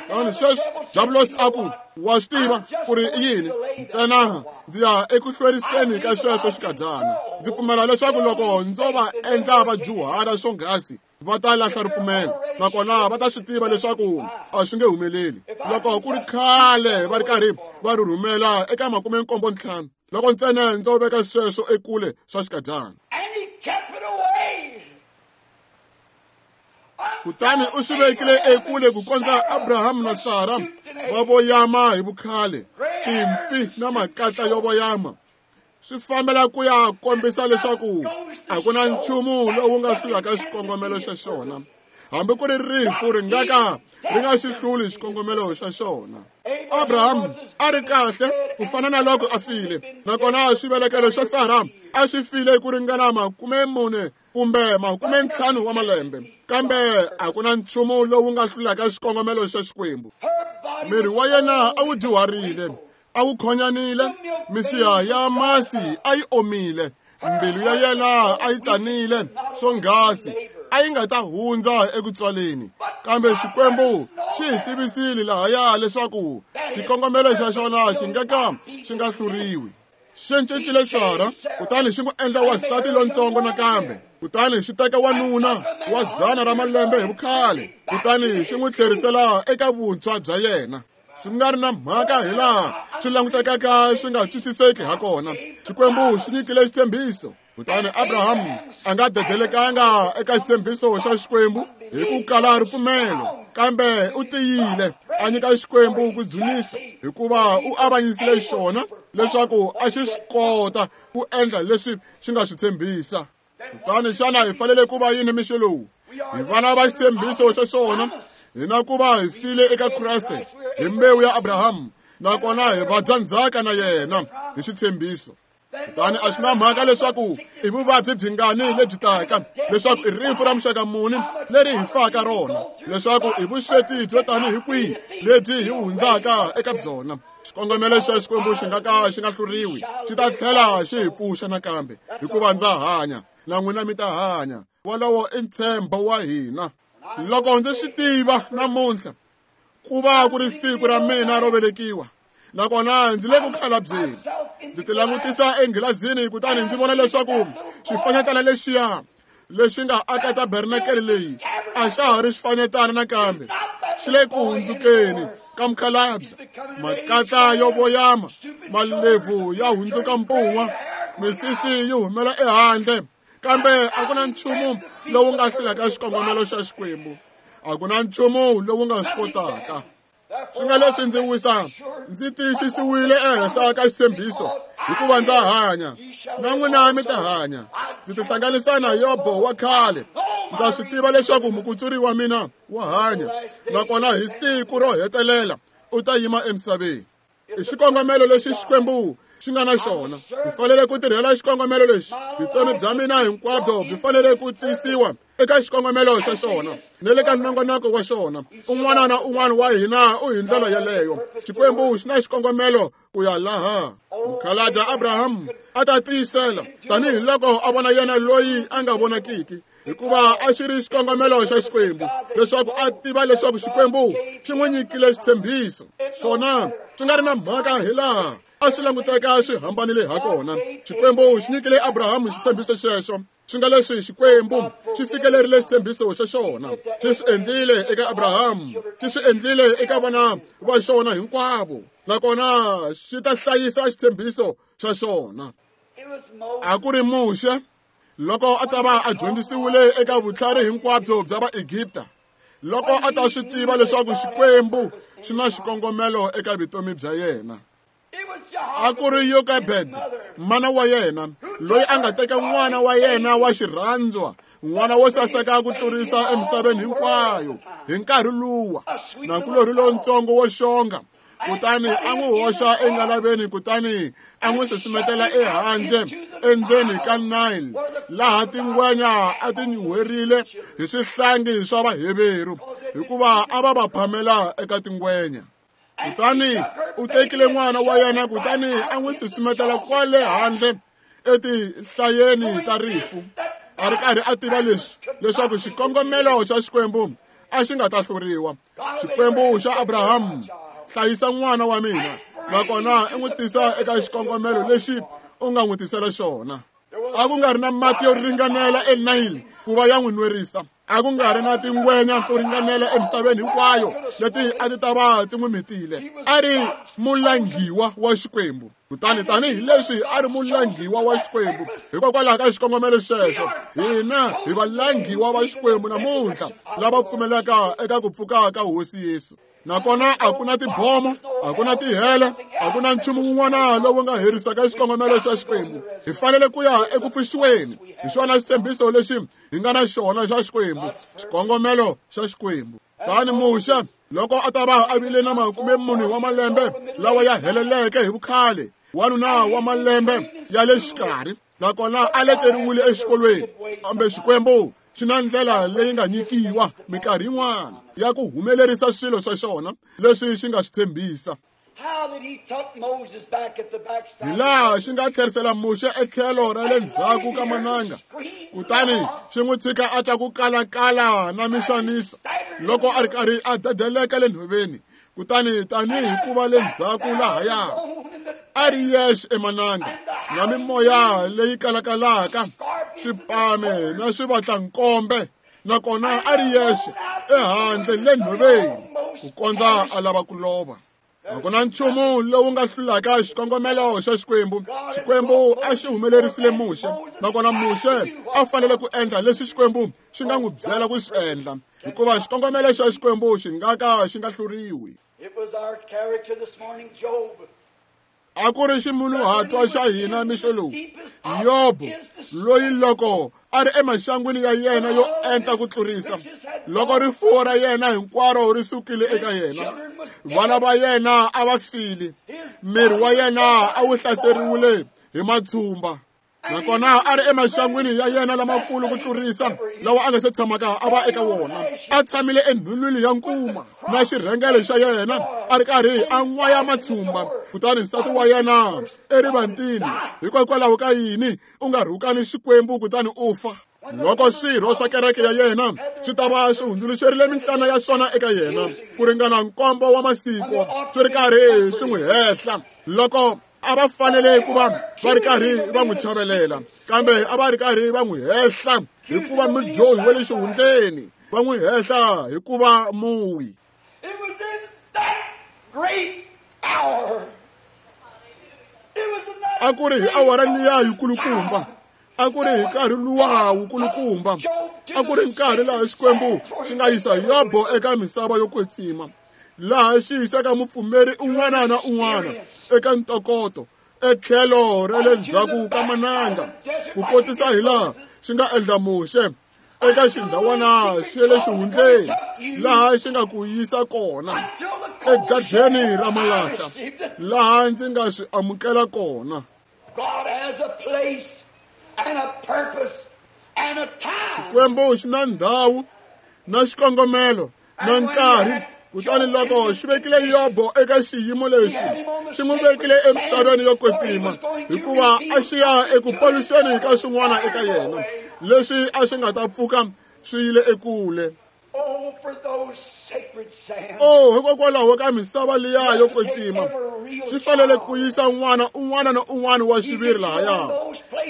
A: Kutani sweswi Diabulosi a ku, wa swi tiva ku ri i yini, ntsena ndzi ya eku hlweriseni ka sweswo xikadyana. Ndzi pfumela leswaku loko ndzo va endla vadyuhala swonghasi va ta lahla ripfumelo, nakona va ta swi tiva leswaku a swi nge humeleli. Loko ku ri khale va ri karhi va ri rhumela eka makume nkombo ntlhanu, loko ntsena ndzo veka sweswo ekule swa xikadyana. Kutani u swi vekile ekule ku kondza Abrahamu na Sara va voyama hi vukhale, timpfi na makatla yo voyama. Swi fambela ku ya kombisa leswaku a ku na nchumu lowu nga hlulaka xikongomelo xa xona, hambi ku ri rifu ri nga ka ri nga xi hluli xikongomelo xa xona. Abrahamu a ri kahle ku fana na loko a file, nakona xivelekelo xa Sara a xi file ku ringana makume mune kumbe makume ntlhanu wa malembe, kambe a ku na nchumu lowu nga hlulaka xikongomelo xa Xikwembu. Miri wa yena a wu dyuharile, a wu khonyanile, misiha ya masi a yi omile, mbilu ya yena a yi tsanile swonghasi a yi nga ta hundza eku tswaleni. Kambe Xikwembu xi hi tivisile lahaya leswaku xikongomelo xa xona xi nga ka xi nga hluriwi. Xi cincile Sara kutani xi n'wi endla wansati lontsongo nakambe, kutani xi teka wanuna wa dzana ra malembe hi vukhale, kutani xi n'wi tlherisela eka vuntshwa bya yena. Swi nga ri na mhaka hi laha swi langutekaka swi nga twisiseki ha kona, Xikwembu xi nyikile xitshembiso. Kutani Abrahamu a nga dedelekanga eka xitshembiso xa Xikwembu hi ku kala ripfumelo, kambe u tiyile a nyika Xikwembu ku dzunisa, hikuva u avanyisile xona leswaku a xi swi kota ku endla leswi xi nga swi tshembisa. Kutani xana hi fanele ku va yini mixo lowu? Hi vana va xitshembiso xa xona, hina ku va hi file eka Kreste hi mbewu ya Abrahamu, nakona hi vadyandzhaka na yena hi xitshembiso. Kutani a swi na mhaka leswaku i vuvabyi byingani lebyi taka, leswaku i rifu ra muxaka muni leri hi faka rona, leswaku i vusweti byo tanihi kwihi lebyi hi hundzaka eka byona, xikongomelo xa Xikwembu xi nga ka xi nga hluriwi, xi ta tlhela xi hi pfuxa nakambe, hikuva ndza hanya na n'wina mi ta hanya. Wolowo i ntshembo wa hina. Loko ndzi swi tiva namuntlha ku va ku ri siku ra mina ro velekiwa, nakona ndzi le ku khalabyeni, ndzi ti langutisa enghilazini kutani ndzi vona leswaku xifanyetana lexiya lexi nga aka tabernakele leyi a xa ha ri xifanyetana nakambe, xi le ku hundzukeni ka mukhalabye, makatla yo voyama, malebvu ya hundzuka mpun'wa, misisi yi humela ehandle, kambe a ku na nchumu lowu nga hlulaka xikongomelo xa Xikwembu, a ku na nchumu lowu nga swi kotaka. Swi nga leswi ndzi wisa ndzi tiyisisiwile ehenhla ka xitshembiso, hikuva ndza hanya na n'wina mi ta hanya. Ndzi tihlanganisa na Yobo wa khale, ndza swi tiva leswaku mukutsuri wa mina wa hanya, nakona hi siku ro hetelela u ta yima emisaveni. I xikongomelo lexi Xikwembu xi nga na xona. Hi fanele ku tirhela xikongomelo lexi. Vutomi bya mina hinkwabyo byi fanele ku tiyisiwa eka xikongomelo xa xona ni le ka nongonoko wa xona. Un'wana na un'wana wa hina u hi ndlela yeleyo. Xikwembu xi na xikongomelo ku ya laha. Mukhalabye Abraham a ta tiyisela tanihiloko a vona yena loyi a nga vonakiki, hikuva a xi ri xikongomelo xa Xikwembu leswaku a tiva leswaku Xikwembu xi n'wi nyikile xitshembiso. Swona swi nga ri na mhaka hi laha a swi languteka swi hambanile ha kona, Xikwembu xi nyikile Abrahamu xitshembiso xexo. Swi nga leswi Xikwembu xi fikelerile xitshembiso xa xona, xi swi endlile eka Abrahamu, xi swi endlile eka vana va xona hinkwavo, nakona xi ta hlayisa xitshembiso xa xona. A ku ri Muxe loko a ta va a dyondzisiwile eka vutlhari hinkwabyo bya Vaegipta, loko a ta swi tiva leswaku Xikwembu xi na xikongomelo eka vutomi bya yena. A ku ri Yokebed, mana wa yena, loyi a nga teka n'wana wa yena wa xirhandzwa, n'wana wo saseka ku tlurisa emisaveni hinkwayo hi nkarhi luwa, nakulorhi lontsongo wo xonga, kutani a n'wi hoxa engalaveni, kutani a n'wi susumetela ehandle endzeni ka Nile, laha tingwenya a ti nyuherile hi swihlangi swa Vaheveru, hikuva a va va phamela eka tingwenya. Kutani u tekile n'wana wa yena kutani a n'wi susumetela kwale handle etihlayeni ta rifu, a ri karhi a tiva leswi leswaku xikongomelo xa Xikwembu a xi nga ta hluriwa. Xikwembu xa Abrahamu, hlayisa n'wana wa mina, nakona i n'wi tisa eka xikongomelo lexi u nga n'wi tisela xona. A ku nga ri na mati yo ringanela eNile ku va ya n'wi nwerisa, a ku nga ri na tingwenya to ringanela emisaveni hinkwayo leti a ti ta va ti n'wi mitile. A ri mulangiwa wa Xikwembu. Kutani tanihileswi a ri mulangiwa wa Xikwembu, hikokwalaho ka xikongomelo xexo, hina hi valangiwa va Xikwembu namuntlha lava pfumelaka eka ku pfuka ka Hosi Yesu. Nakona a ku na tibomo, a ku na tihele, a ku na nchumu wun'wana lowu nga herisaka xikongomelo xa Xikwembu. Hi fanele ku ya eku pfuxiweni. Hi xona xitshembiso lexi hi nga na xona xa Xikwembu, xikongomelo xa Xikwembu. Tani Muxe loko a ta va a vile na makume mune wa malembe lawa ya heleleke hi vukhale, wanuna wa malembe ya le xikarhi, nakona a leteriwile exikolweni, kambe Xikwembu xi na ndlela leyi nga nyikiwa minkarhi yin'wana ya ku humelerisa swilo swa xona leswi xi nga swi tshembisa. Hi laha xi nga tlherisela Muxe etlhelo ra le ndzhaku ka mananga, kutani xi n'wi tshika a twa ku kalakala na mixaniso loko a ri karhi a dedeleka le nhoveni. Kutani tanihi ku va le ndzhaku lahaya a ri yexe emananga na mimoya leyi kalakalaka, swipame na swivatlankombe, nakona a ri yexe ehandle le nhoveni ku kondza a lava ku lova. A ku na nchumu lowu nga hlulaka xikongomelo xa Xikwembu. Xikwembu a xi humelerisile Muxe, nakona Muxe a fanele ku endla leswi Xikwembu xi nga n'wi byela ku swi endla, hikuva xikongomelo xa Xikwembu xi nga ka xi nga hluriwi. A ku ri ximunhuhatwa xa hina mixo lowu, Yobo, loyi loko a ri emaxangwini ya yena yo enta ku tlurisa, loko rifuwo ra yena hinkwaro ri sukile eka yena, vana va yena a va file, miri wa yena a wu hlaseriwile hi matshumba. Nakona a ri emaxangwini ya yena lamakulu ku tlurisa lawa a nga se tshamaka a va eka wona. A tshamile enhulwini ya nkuma na xirhengele xa yena a ri karhi a n'waya matshumba. Kutani nsati wa yena erivantini, hikokwalaho ka yini u nga rhukani Xikwembu kutani u fa? Loko swirho swa kereke ya yena swi ta va swi hundzuluxerile minhlana ya swona eka yena ku ringana nkombo wa masiku swi ri karhi swi n'wi hehla, loko a va fanele ku va va ri karhi va n'wi chavelela, kambe a va ri karhi va n'wi hehla hikuva mudyohi wa le xihundleni, va n'wi hehla hikuva muwi. A ku ri hi awara liya yikulukumba, a ku ri hi nkarhi luwa wukulukumba, a ku ri nkarhi laha Xikwembu xi nga yisa Yobo eka misava yo kwetsima, laha xi yisaka mupfumeri un'wana na un'wana eka ntokoto etlhelo ra le ndzhaku ka mananga, ku kotisa hi laha xi nga endla Muxe eka xindhawana xa le xihundleni, laha xi nga ku yisa kona egadeni ra malahla, laha ndzi nga swi amukela kona. Xikwembu xi na ndhawu na xikongomelo na nkarhi. Kutani loko xi vekile Yobo eka xiyimo lexi, xi n'wi vekile emisaveni yo kwetsima, hikuva a xi ya eku paluxeni ka swin'wana eka yena leswi a swi nga ta pfuka swi yile ekule. Oh, hikokwalaho ka misava liya yo kwetsima, swi fanele ku yisa n'wana un'wana na un'wana wa xiviri lahaya,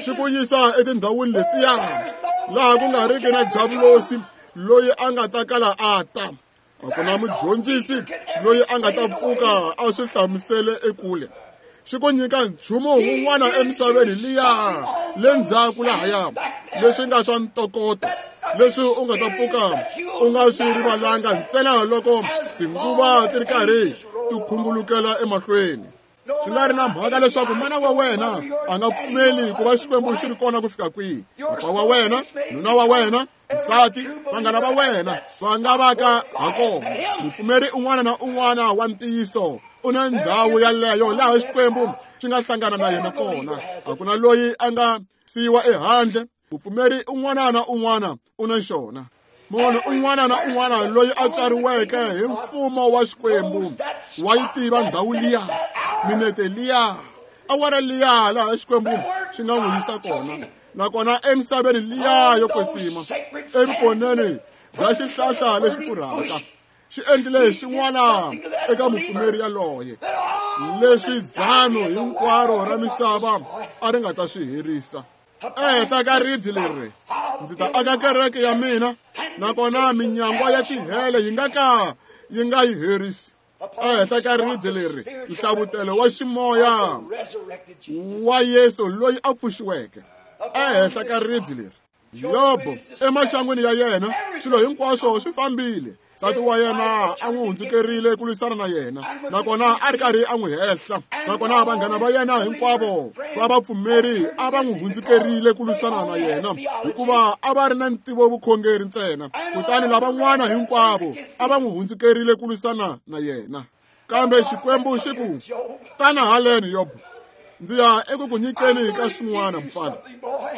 A: xi ku yisa etindhawini letiya laha ku nga riki na javulosi loyi a nga ta kala a ta. A ku na mudyondzisi loyi a nga ta pfuka a swi hlamusele ekule. Xi ku nyika nchumu wun'wana emisaveni liya le ndzhaku lahaya, leswi nga swa ntokoto, leswi u nga ta pfuka u nga swi rivalanga ntsena loko tinguva ti ri karhi ti khungulukela emahlweni. Swi nga ri na mhaka leswaku mana wa wena a nga pfumeli ku va Xikwembu xi ri kona ku fika kwihi, papa wa wena, nuna wa wena, nsati, vanghana va wena va nga va ka ha kona. Mupfumeri un'wana na un'wana wa ntiyiso u na ndhawu yaleyo laha Xikwembu xi nga hlangana na yena kona. A ku na loyi a nga siyiwa ehandle. Mupfumeri un'wana na un'wana u na xona. Munhu un'wana na un'wana loyi a tswariweke hi mfumo wa Xikwembu wa yi tiva ndhawu liya, minete liya, awara liya laha Xikwembu xi nga n'wi yisa kona. Nakona emisaveni liya yo kwetsima, evukoneni bya xihlahla lexi pfurhaka, xi endlile xin'wana eka mupfumeri yaloye leswi dzano hinkwaro ra misava a ri nga ta swi herisa. Ehenhla ka ribye leri ndzi ta aka kereke ya mina, nakona minyangwa ya tihele yi nga ka yi nga yi herisi. Ehenhla ka ribye leri nhlavutelo wa ximoya wa Yesu loyi a pfuxiweke. Ehenhla ka ribye leri Yobo emaxangwini ya yena swilo hinkwaswo swi fambile. Nsati wa yena a n'wi hundzukerile ku lwisana na yena, nakona a ri karhi a n'wi hehla. Nakona vanghana va yena hinkwavo va vapfumeri a va n'wi hundzukerile ku lwisana na yena, hikuva a va ri na ntivo vukhongeri ntsena. Kutani lavan'wana hinkwavo a va n'wi hundzukerile ku lwisana na yena. Kambe Xikwembu xi ku, tana haleni Yobo, ndzi ya eku ku nyikeni ka swin'wana mfana,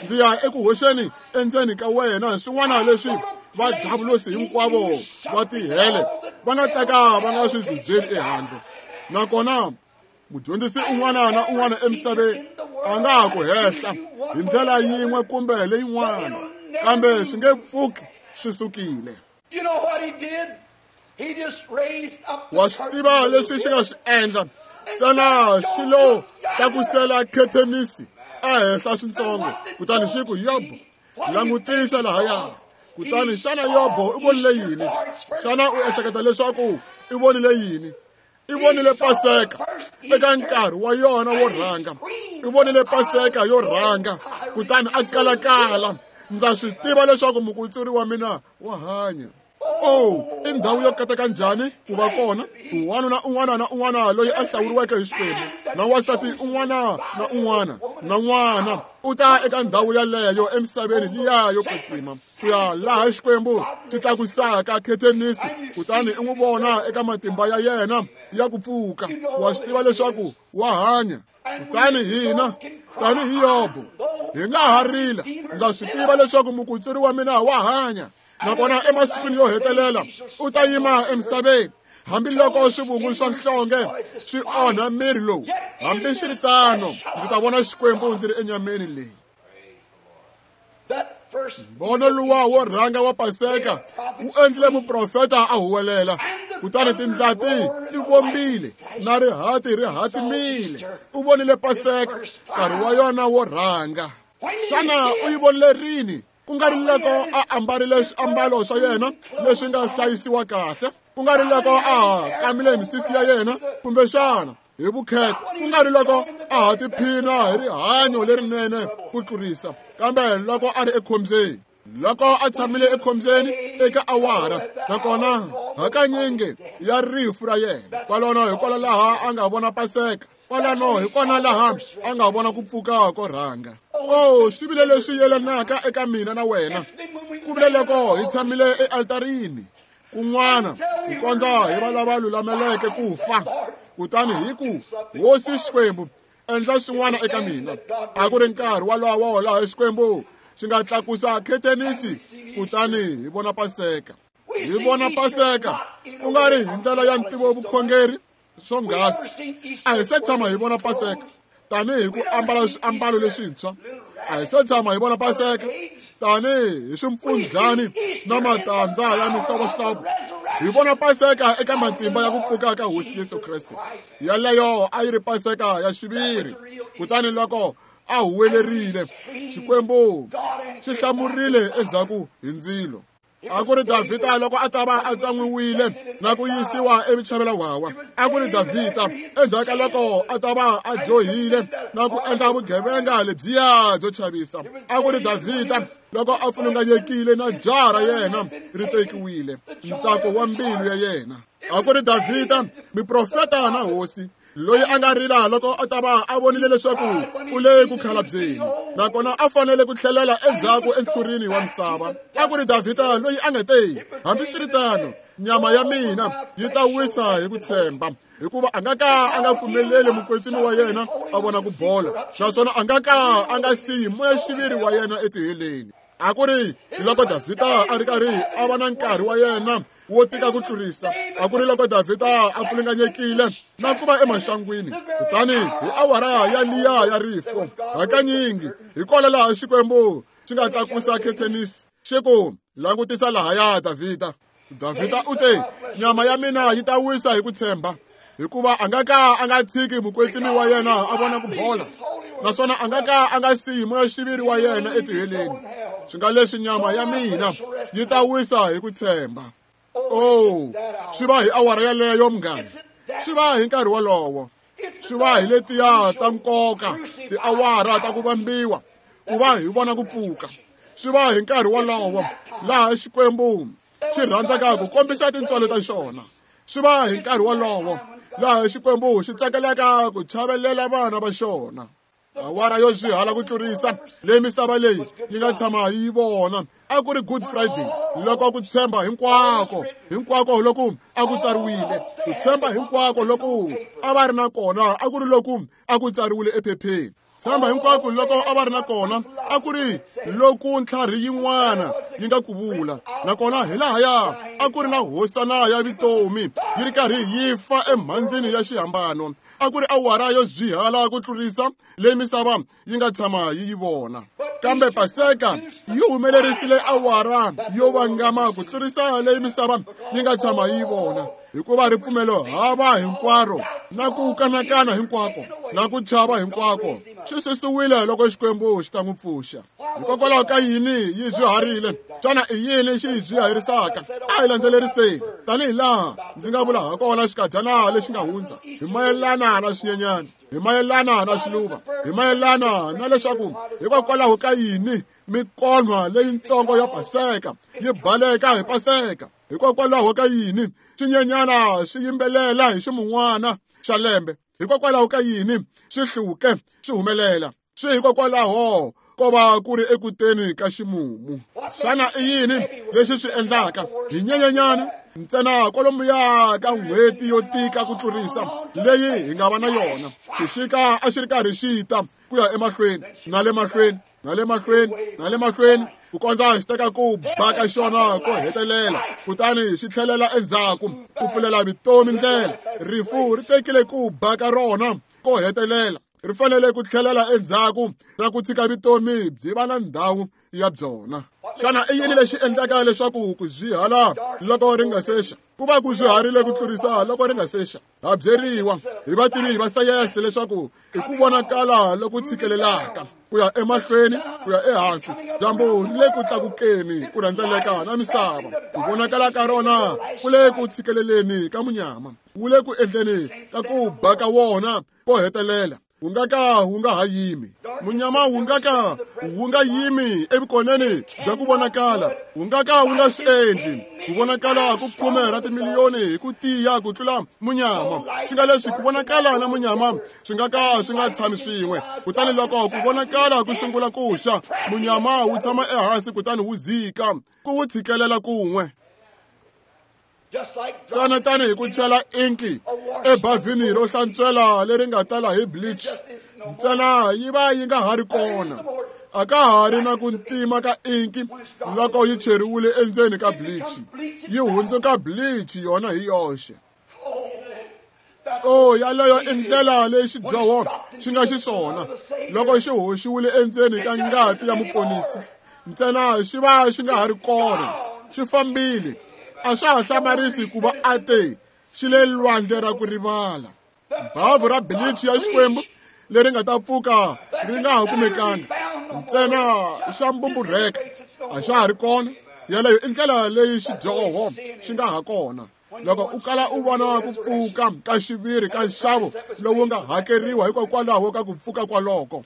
A: ndzi ya eku hoxeni endzeni ka wena swin'wana leswi va javulosi hinkwavo va tihele va nga teka va nga swi zuzeli ehandle. Nakona mudyondzisi un'wana na un'wana emisaveni a nga ha ku hehla hi ndlela yin'we kumbe leyin'wana, kambe swi nge pfuki swi sukile. Wa swi tiva leswi xi nga swi endla? Ntsena xi lo tlakusela khethenisi ehenhla swintsongo, kutani xi ku, Yobo, langutisa lahaya. Kutani xana Yobo u vonile yini? Xana u ehleketa leswaku i vonile yini? I vonile Paseka eka nkarhi wa yona wo rhanga. I vonile Paseka yo rhanga, kutani a kalakala. Ndza swi tiva leswaku mukutsuri wa mina wa hanya. Oh, i ndhawu yo kateka njhani ku va kona wanuna un'wana na un'wana loyi a hlawuriweke hi Xikwembu, na wansati un'wana na un'wana na n'wana u ta eka ndhawu yaleyo emisaveni liya yo kwetsima, ku ya laha Xikwembu xi tlakusaka khethenisi, kutani i n'wi vona eka matimba ya yena ya ku pfuka. Wa swi tiva leswaku wa hanya. Kutani hina Tanihi Yobo, hi nga ha rila, ndza swi tiva leswaku mukutsuri wa mina wa hanya, nakona emasikwini yo hetelela u ta yima emisaveni. Hambiloko swivungu swa nhlonge swi onha miri lowu, hambiswiritano ndzi ta vona Xikwembu ndzi ri enyameni leyi. Mbono luwa wo rhanga wa Paseka wu endlile muprofeta a huwelela, kutani tindlati ti vombile na rihati ri hatimile. U vonile Paseka nkarhi wa yona wo rhanga. Xana u yi vonile rini? Ku nga ri loko a ambarile swiambalo swa yena leswi nga hlayisiwa kahle, ku nga ri loko a kamile misisi ya yena kumbexana hi vukheta, ku nga ri loko a ha tiphina hi rihanyo lerinene ku tlurisa, kambe loko a ri ekhombyeni, loko a tshamile ekhombyeni eka awara, nakona hakanyingi ya rifu ra yena. Kwalano hi kona laha a nga vona Paseka, kwalano hi kona laha a nga vona ku pfuka ko rhanga. Oh, swi vile leswi yelanaka eka mina na wena. Ku vile loko hi tshamile ealtarini kun'wana ku kondza hi va lava lulameleke ku fa, kutani hi ku, Hosi Xikwembu, endla swin'wana eka mina. A ku ri nkarhi walowo laha Xikwembu xi nga tlakusa khetenisi, kutani hi vona Paseka. Hi vona Paseka ku nga ri hi ndlela ya ntivo vukhongeri swonghasi. A hi se tshama hi vona Paseka tanihi ku ambala swiambalo leswintshwa. A hi se tshama hi vona Paseka tanihi hi swimpfundlani na matandza ya mihlovohlovo. Hi vona Paseka eka matimba ya ku pfuka ka Hosi Yesu Kreste. Yaleyo a yi ri Paseka ya xiviri. Kutani loko a huwelerile, Xikwembu xi hlamurile endzhaku hi ndzilo. A ku ri Davhida loko a ta va a tsan'wiwile na ku yisiwa evuchavela wawa. A ku ri Davhida endzhaku ka loko a ta va a dyohile na ku endla vugevenga lebyiya byo chavisa. A ku ri Davhida loko a pfulunganyekile na jaha ra yena ri tekiwile, ntsako wa mbilu ya yena. A ku ri Davhida muprofeta na hosi loyi a nga rila loko a ta va a vonile leswaku u le ku khalabyeni, nakona a fanele ku tlhelela endzhaku entshurini wa misava. A ku ri Davhida loyi a nga te, hambiswiritano nyama ya mina yi ta wisa hi ku tshemba, hikuva a nga ka a nga pfumeleli mukwetsimi wa yena a vona ku bola, naswona a nga ka a nga siyi moya-xiviri wa yena etiheleni. A ku ri loko Davhida a ri karhi a va na nkarhi wa yena wo tika ku tlurisa. A ku ri loko Davhida a pfulunganyekile na ku va emaxangwini, kutani hi awara ya liya ya rifu, hakanyingi hi kona laha Xikwembu xi nga tlakusa khetenisi xi ku, langutisa lahaya Davhida. Davhida u te, nyama ya mina yi ta wisa hi ku tshemba, hikuva a nga ka a nga tshiki mukwetsimi wa yena a vona ku bola, naswona a nga ka a nga siyi moya-xiviri wa yena etiheleni. Swi nga leswi nyama ya mina yi ta wisa hi ku tshemba. Oh, swi va hi awara yaleyo munghana, swi va hi nkarhi wolowo, swi va hi letiya ta nkoka, tiawara ta ku vambiwa, ku va hi vona ku pfuka. Swi va hi nkarhi wolowo laha Xikwembu xi rhandzaka ku kombisa tintswalo ta xona. Swi va hi nkarhi wolowo laha Xikwembu xi tsakelaka ku chavelela vana va xona. Awara yo swihala ku tlurisa leyi misava leyi yi nga tshama yi vona a ku ri Good Friday, loko ku tshemba hinkwako hinkwako loku a ku tsariwile, ku tshemba hinkwako loku a va ri na kona a ku ri loku a ku tsariwile ephepheni. Tshemba hinkwako loko a va ri na kona a ku ri loku ntlhari yin'wana yi nga ku vula, nakona hi lahaya a ku ri na hosana ya vutomi yi ri karhi yi fa emhandzini ya xihambano. A ku ri awara yo byihala ku tlurisa leyi misava yi nga tshama yi yi vona. Kambe Paseka yi humelerisile awara yo vangama ku tlurisa leyi misava yi nga tshama yi yi vona, hikuva ripfumelo hava hinkwaro na ku kanakana hinkwako na ku chava hinkwako swi susiwile loko Xikwembu xi ta n'wi pfuxa. Hikokwalaho ka yini yi byiharile? Xana i yini xi yi byiharisaka? A hi landzeleriseni tanihi laha ndzi nga vula hakona xikadyana lexi nga hundza hi mayelana na swinyenyana, hi mayelana na swiluva, hi mayelana na leswaku hikokwalaho ka yini mikonwa leyitsongo ya Paseka yi baleka hi Paseka, hikokwalaho ka yini swinyenyana swi yimbelela hi ximun'wana xa lembe, hikokwalaho ka yini swi hluke swi humelela, swi hikokwalaho ko va ku ri ekuteni ka ximumu. Xana i yini lexi swi endlaka? Hi nyenyenyana, Ntsena kwalomuya ka n'hweti yo tika ku tlurisa leyi hi nga va na yona. Xixika a xi ri karhi xi ta ku ya emahlweni na le mahlweni na le mahlweni na le mahlweni ku kondza xi teka ku ba ka xona ko hetelela, kutani xi tlhelela endzhaku ku pfulela vutomi ndlela. Rifu ri tekile ku ba ka rona ko hetelela, ri fanele ku tlhelela endzhaku na ku tshika vutomi byi va na ndhawu ya byona. Xana i yini lexi endlaka leswaku ku zwihala loko ri nga sexa? Ku va ku zwiharile ku tlurisa loko ri nga sexa. Ha byeriwa hi vativi va sayense leswaku i ku vonakala loku tshikelelaka ku ya emahlweni ku ya ehansi. Dyambu ri le ku tlakukeni ku rhendzeleka na misava. Ku vonakala ka rona ku le ku tshikeleleni ka munyama, wu le ku endleni ka ku ba ka wona ko hetelela. Wu nga ka wu nga ha yimi. Munyama wu nga ka wu nga yimi evukoneni bya ku vonakala, wu nga ka wu nga swi endli. Ku vonakala ku khume ra timiliyoni hi ku tiya ku tlula munyama. Swi nga leswi ku vonakala na munyama swi nga ka swi nga tshami swin'we. Kutani loko ku vonakala ku sungula ku xa, munyama wu tshama ehansi kutani wu dzika, ku wu tshikelela kun'we. Tsana tanihi ku chela inki ebavhini ro hlantswela leri nga tala hi bleach, ntsena yi va yi nga ha ri kona. A ka ha ri na ku ntima ka inki loko yi cheriwile endzeni ka bleach, yi hundzuka bleach yona hi yoxe. Oh, yaleyo i ndlela leyi xidyoho xi nga xiswona loko xi hoxiwile endzeni ka ngati ya muponisi. Ntsena xi va xi nga ha ri kona, xi fambile. A swa ha hlamarisi ku va a te xi le lwandle ra ku rivala. Bavhu ra bleach ya Xikwembu leri nga ta pfuka ri nga ha kumekanga, ntsena xa mbumburheka a xa ha ri kona. Yaleyo i ndlela leyi xidyoho xi nga ha kona. Loko u kala u vona ku pfuka ka xiviri ka nxavo lowu nga hakeriwa hikokwalaho ka ku pfuka kwaloko,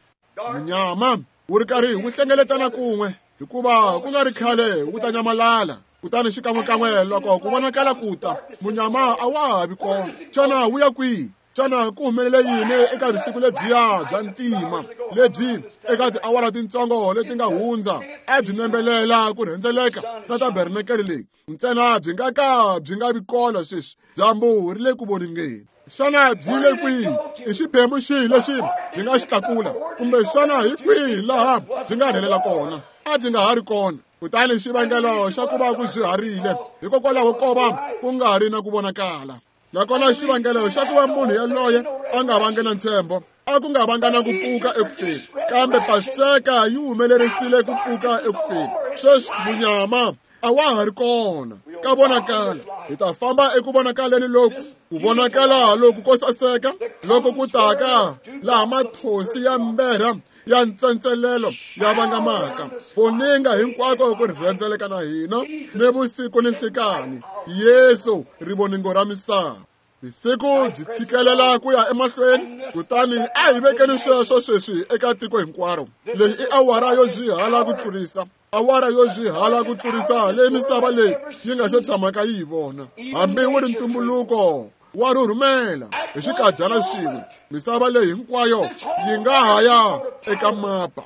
A: munyama wu ri karhi wu hlengeletana kun'we, hikuva ku nga ri khale wu ta nyamalala. Kutani xikan'wekan'we loko ku vonakala ku ta, munyama a wa ha vi kona. Xana wu ya kwihi? Xana ku humelele yini eka vusiku lebyiya bya ntima lebyi eka tiawara tintsongo leti nga hundza a byi nembelela ku rhendzeleka na tabernakele leyi? Ntsena byi nga ka byi nga vi kona sweswi. Dyambu ri le ku voningeni. Xana byi le kwihi? I xiphemu xihi lexi byi nga xi tlakula? Kumbe xana hi kwihi laha byi nga rhelela kona? A byi nga ha ri kona. Kutani xivangelo xa ku va ku byiharile hikokwalaho ko va ku nga ri na ku vonakala. Nakona xivangelo xa ku va munhu yaloye a nga vanga na ntshembo, a ku nga vanga na ku pfuka ekufeni, kambe Paseka yi humelerisile ku pfuka ekufeni. Sweswi munyama a wa ha ri kona ka vonakala. Hi ta famba eku vonakaleni loku, ku vonakala loku ko saseka loko ku taka laha mathosi ya mberha ya ntsentselelo ya vangamaka, voninga hinkwako ku rhendzeleka na hina ni vusiku ni nhlikani. Yesu rivoningo ra misava. Vusiku byi tshikelela ku ya emahlweni, kutani a hi vekeni sweswo sweswi eka tiko hinkwaro. Leyi i awara yo byihala ku tlurisa, awara yo byihala ku tlurisa leyi misava leyi yi nga se tshamaka yi yi vona. Hambi wu ri ntumbuluko wa rhurhumela hi xikadyana xin'we, misava leyi hinkwayo yi nga ha ya eka mapa.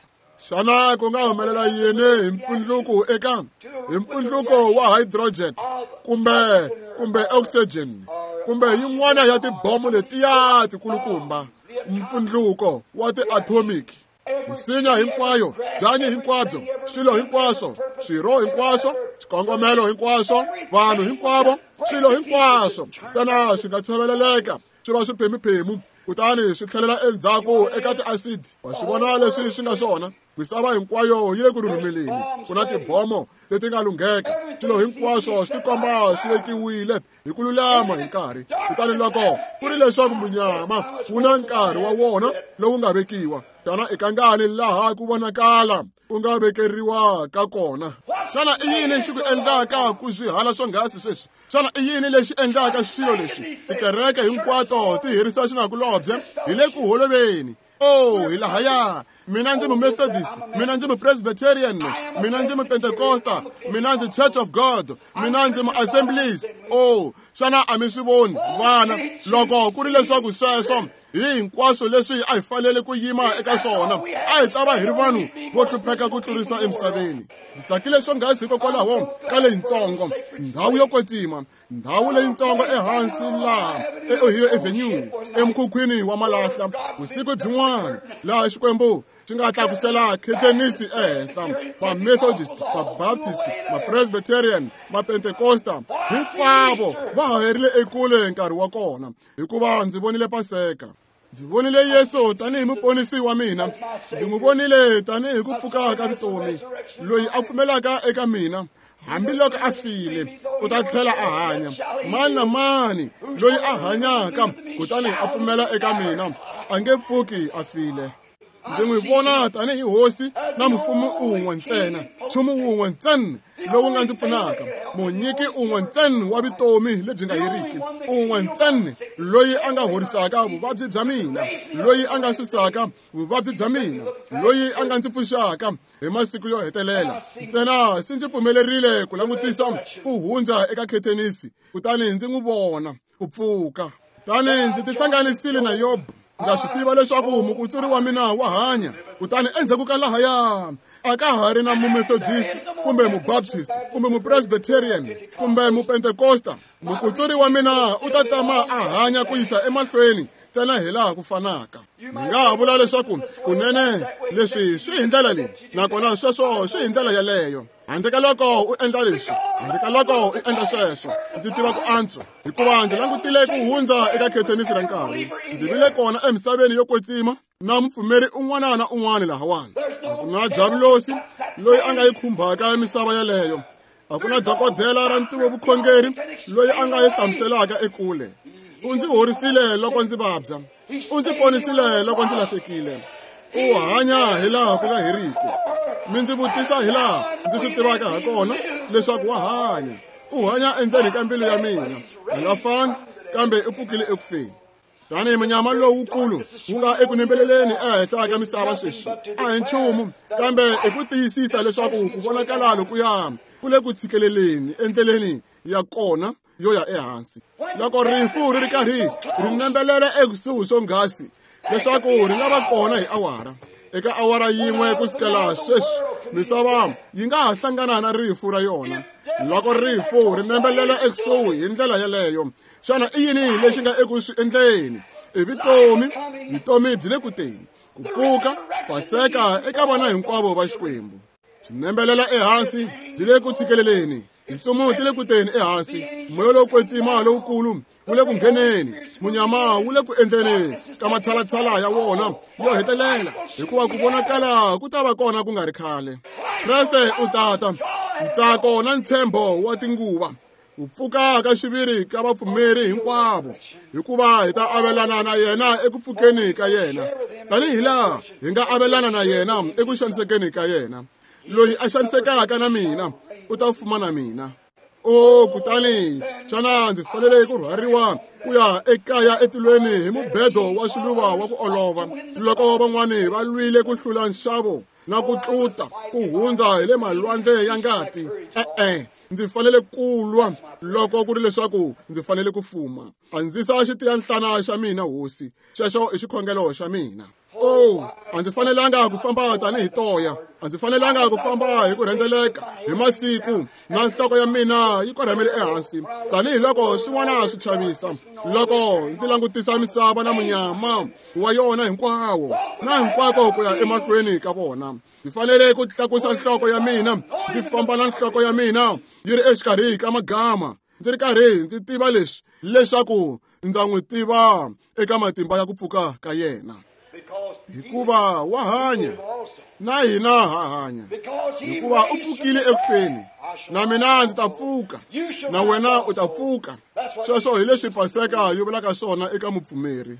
A: Xana ku nga humelela yini hi mpfundluko eka hi mpfundluko wa hydrogen kumbe kumbe oxygen kumbe yin'wana ya tibomo letiya tikulukumba, mpfundluko wa ti-atomic? Misinya hinkwayo, byanyi hinkwabyo, swilo hinkwaswo, swirho hinkwaswo, swikongomelo hinkwaswo, vanhu hinkwavo, swilo hinkwaswo ntsena swi nga tshoveleleka swi va swiphemuphemu, kutani swi tlhelela endzhaku eka tiasidi. Wa swi vona leswi swi nga swona? Misava hinkwayo yi le ku rhurhumeleni. Ku na tibomo leti nga lungheka. Swilo hinkwaswo swi tikomba swi vekiwile hi ku lulama hi nkarhi. Kutani loko ku ri leswaku munyama wu na nkarhi wa wona lowu nga vekiwa, tana i kangani laha ku vonakala ku nga vekeriwa ka kona? Xana i yini xi ku endlaka ku swihala swonghasi sweswi? Xana i yini lexi endlaka swilo leswi? Tikereke hinkwato ti herisa xinakulobye hi le ku holoveni. Oh, hi lahaya. Mina ndzi mu-Methodist, mina ndzi mu-Presbyterian, mina ndzi mu-Pentecosta, mina ndzi Church of God, mina ndzi mu-Assemblies. Oh, xana a mi swi voni vana loko ku ri leswaku sweswo Hi hinkwaswo leswi a hi fanele ku yima eka swona, a hi ta va hi ri vanhu vo hlupheka ku tlurisa emisaveni. Ndzi tsakile swonghasi hikokwalaho ka leyitsongo ndhawu yo kwetsima, ndhawu leyitsongo ehansi laha eOhio Avenue, emukhukhwini wa malahla, vusiku byin'wana laha Xikwembu xi nga tlakusela khetenisi ehenhla. Va-Methodist, va-Baptist, ma-Presbyterian, ma-Pentecosta, hinkwavo va haherile ekule nkarhi wa kona, hikuva ndzi vonile Paseka. Ndzi vonile Yesu tanihi muponisi wa mina. Ndzi n'wi vonile tanihi ku pfuka ka vutomi. Loyi a pfumelaka eka mina, hambiloko a file, u ta tlhela a hanya. Mani na mani loyi a hanyaka kutani a pfumela eka mina, a nge pfuki a file. Ndzi n'wi vona tanihi hosi na mufumi un'we ntsena, nchumu wun'we ntsena lowu nga ndzi pfunaka, munyiki un'we ntsena wa vutomi lebyi nga heriki, un'we ntsena loyi a nga horisaka vuvabyi bya mina, loyi a nga susaka vuvabyi bya mina, loyi a nga ndzi pfuxaka hi masiku yo hetelela. Ntsena se ndzi pfumelerile ku langutisa ku hundza eka khetenisi, kutani ndzi n'wi vona ku pfuka. Kutani ndzi tihlanganisile na Yobo. Ndza swi tiva leswaku mukutsuri wa mina wa hanya. Kutani endzhaku ka lahaya a ka ha ri na mumethodist kumbe mubaptist kumbe mupresbyterian kumbe mupentekosta. Mukutsuri wa mina u ta tama a hanya ku yisa emahlweni ntsena hi laha ku fanaka. Mi nga ha vula leswaku kunene leswi swi hi ndlela leyi, nakona sweswo swi hi ndlela yeleyo. Handle ka loko u endla leswi, handle ka loko u endla sweswo, ndzi tiva ku antswa, hikuva ndzi langutile ku hundza eka khetenisi ra nkarhi. Ndzi vile kona emisaveni yo kwetsima na mupfumeri un'wana na un'wana lahawani. A ku na javulosi loyi a nga yi khumbaka misava yeleyo. A ku na dokodela ra ntivovukhongeri loyi a nga yi hlamuselaka ekule. U ndzi horisile loko ndzi vabya, u ndzi ponisile loko ndzi lahlekile. U hanya hi laha ku nga heriki. Mi ndzi vutisa hi laha ndzi swi tivaka ha kona leswaku wa hanya. U hanya endzeni ka mbilu ya mina. A nga fangi, kambe u pfukile eku feni. Tanihi munyama lowukulu wu nga eku nembeleleni ehenhla ka misava sweswi, a hi nchumu kambe i ku tiyisisa leswaku ku vonakala lokuya ku le ku tshikeleleni endleleni ya kona yo ya ehansi. Loko rifu ri ri karhi ri nembelela ekusuhi swonghasi leswaku ri nga va kona hi awara, eka awara yin'we ku sukela sweswi, misava yi nga ha hlangana na rifu ra yona. Loko rifu ri nembelela ekusuhi hi ndlela yeleyo, xana i yini lexi nga eku swi endleni? I vutomi, vutomi byi le ku teni, ku pfuka, Paseka eka vana hinkwavo va Xikwembu. Swi nembelela ehansi, byi le ku tshikeleleni. Tintsumu ti le ku teni ehansi, moya lowo kwetsima lowukulu wu le ku ngheneni, munyama wu le ku endleni ka matshalatshala ya wona yo hetelela, hikuva ku vonakala ku ta va kona ku nga ri khale. Kreste u tata ntsako na ntshembo wa tinguva, ku pfuka ka xiviri ka vapfumeri hinkwavo, hikuva hi ta avelana na yena eku pfukeni ka yena, tanihi laha hi nga avelana na yena eku xanisekeni ka yena. Loyi a xanisekaka na mina u ta fuma na mina. O kutani xana ndzi fanele ku rhwariwa ku ya ekaya etilweni hi mubedo wa swiluva wa ku olova, loko van'wani va lwile ku hlula nxavo na ku tluta ku hundza hi le malwandle ya ngati? E-e, ndzi fanele ku lwa loko ku ri leswaku ndzi fanele ku fuma. Andzisa xitiyanhlana xa mina, hosi. Xexo i xikhongelo xa mina. Oh, a ndzi fanelanga ku famba tanihi toya, a ndzi fanelanga ku famba hi ku rhendzeleka hi masiku na nhloko ya mina yi korhamele ehansi, tanihiloko swin'wana swi chavisa. Loko ndzi langutisa misava na munyama wa yona hinkwawo na hinkwako ku ya emahlweni ka vona, ndzi fanele ku tlakusa nhloko ya mina, ndzi famba na nhloko ya mina yi ri exikarhi ka magama, ndzi ri karhi ndzi tiva leswi, leswaku ndza n'wi tiva eka matimba ya ku pfuka ka yena. Hikuva wa hanya, na hina ha hanya. Hikuva u pfukile eku feni, na mina ndzi ta pfuka, na wena u ta pfuka. Sweswo hi leswi Paseka yi vulaka swona eka mupfumeri.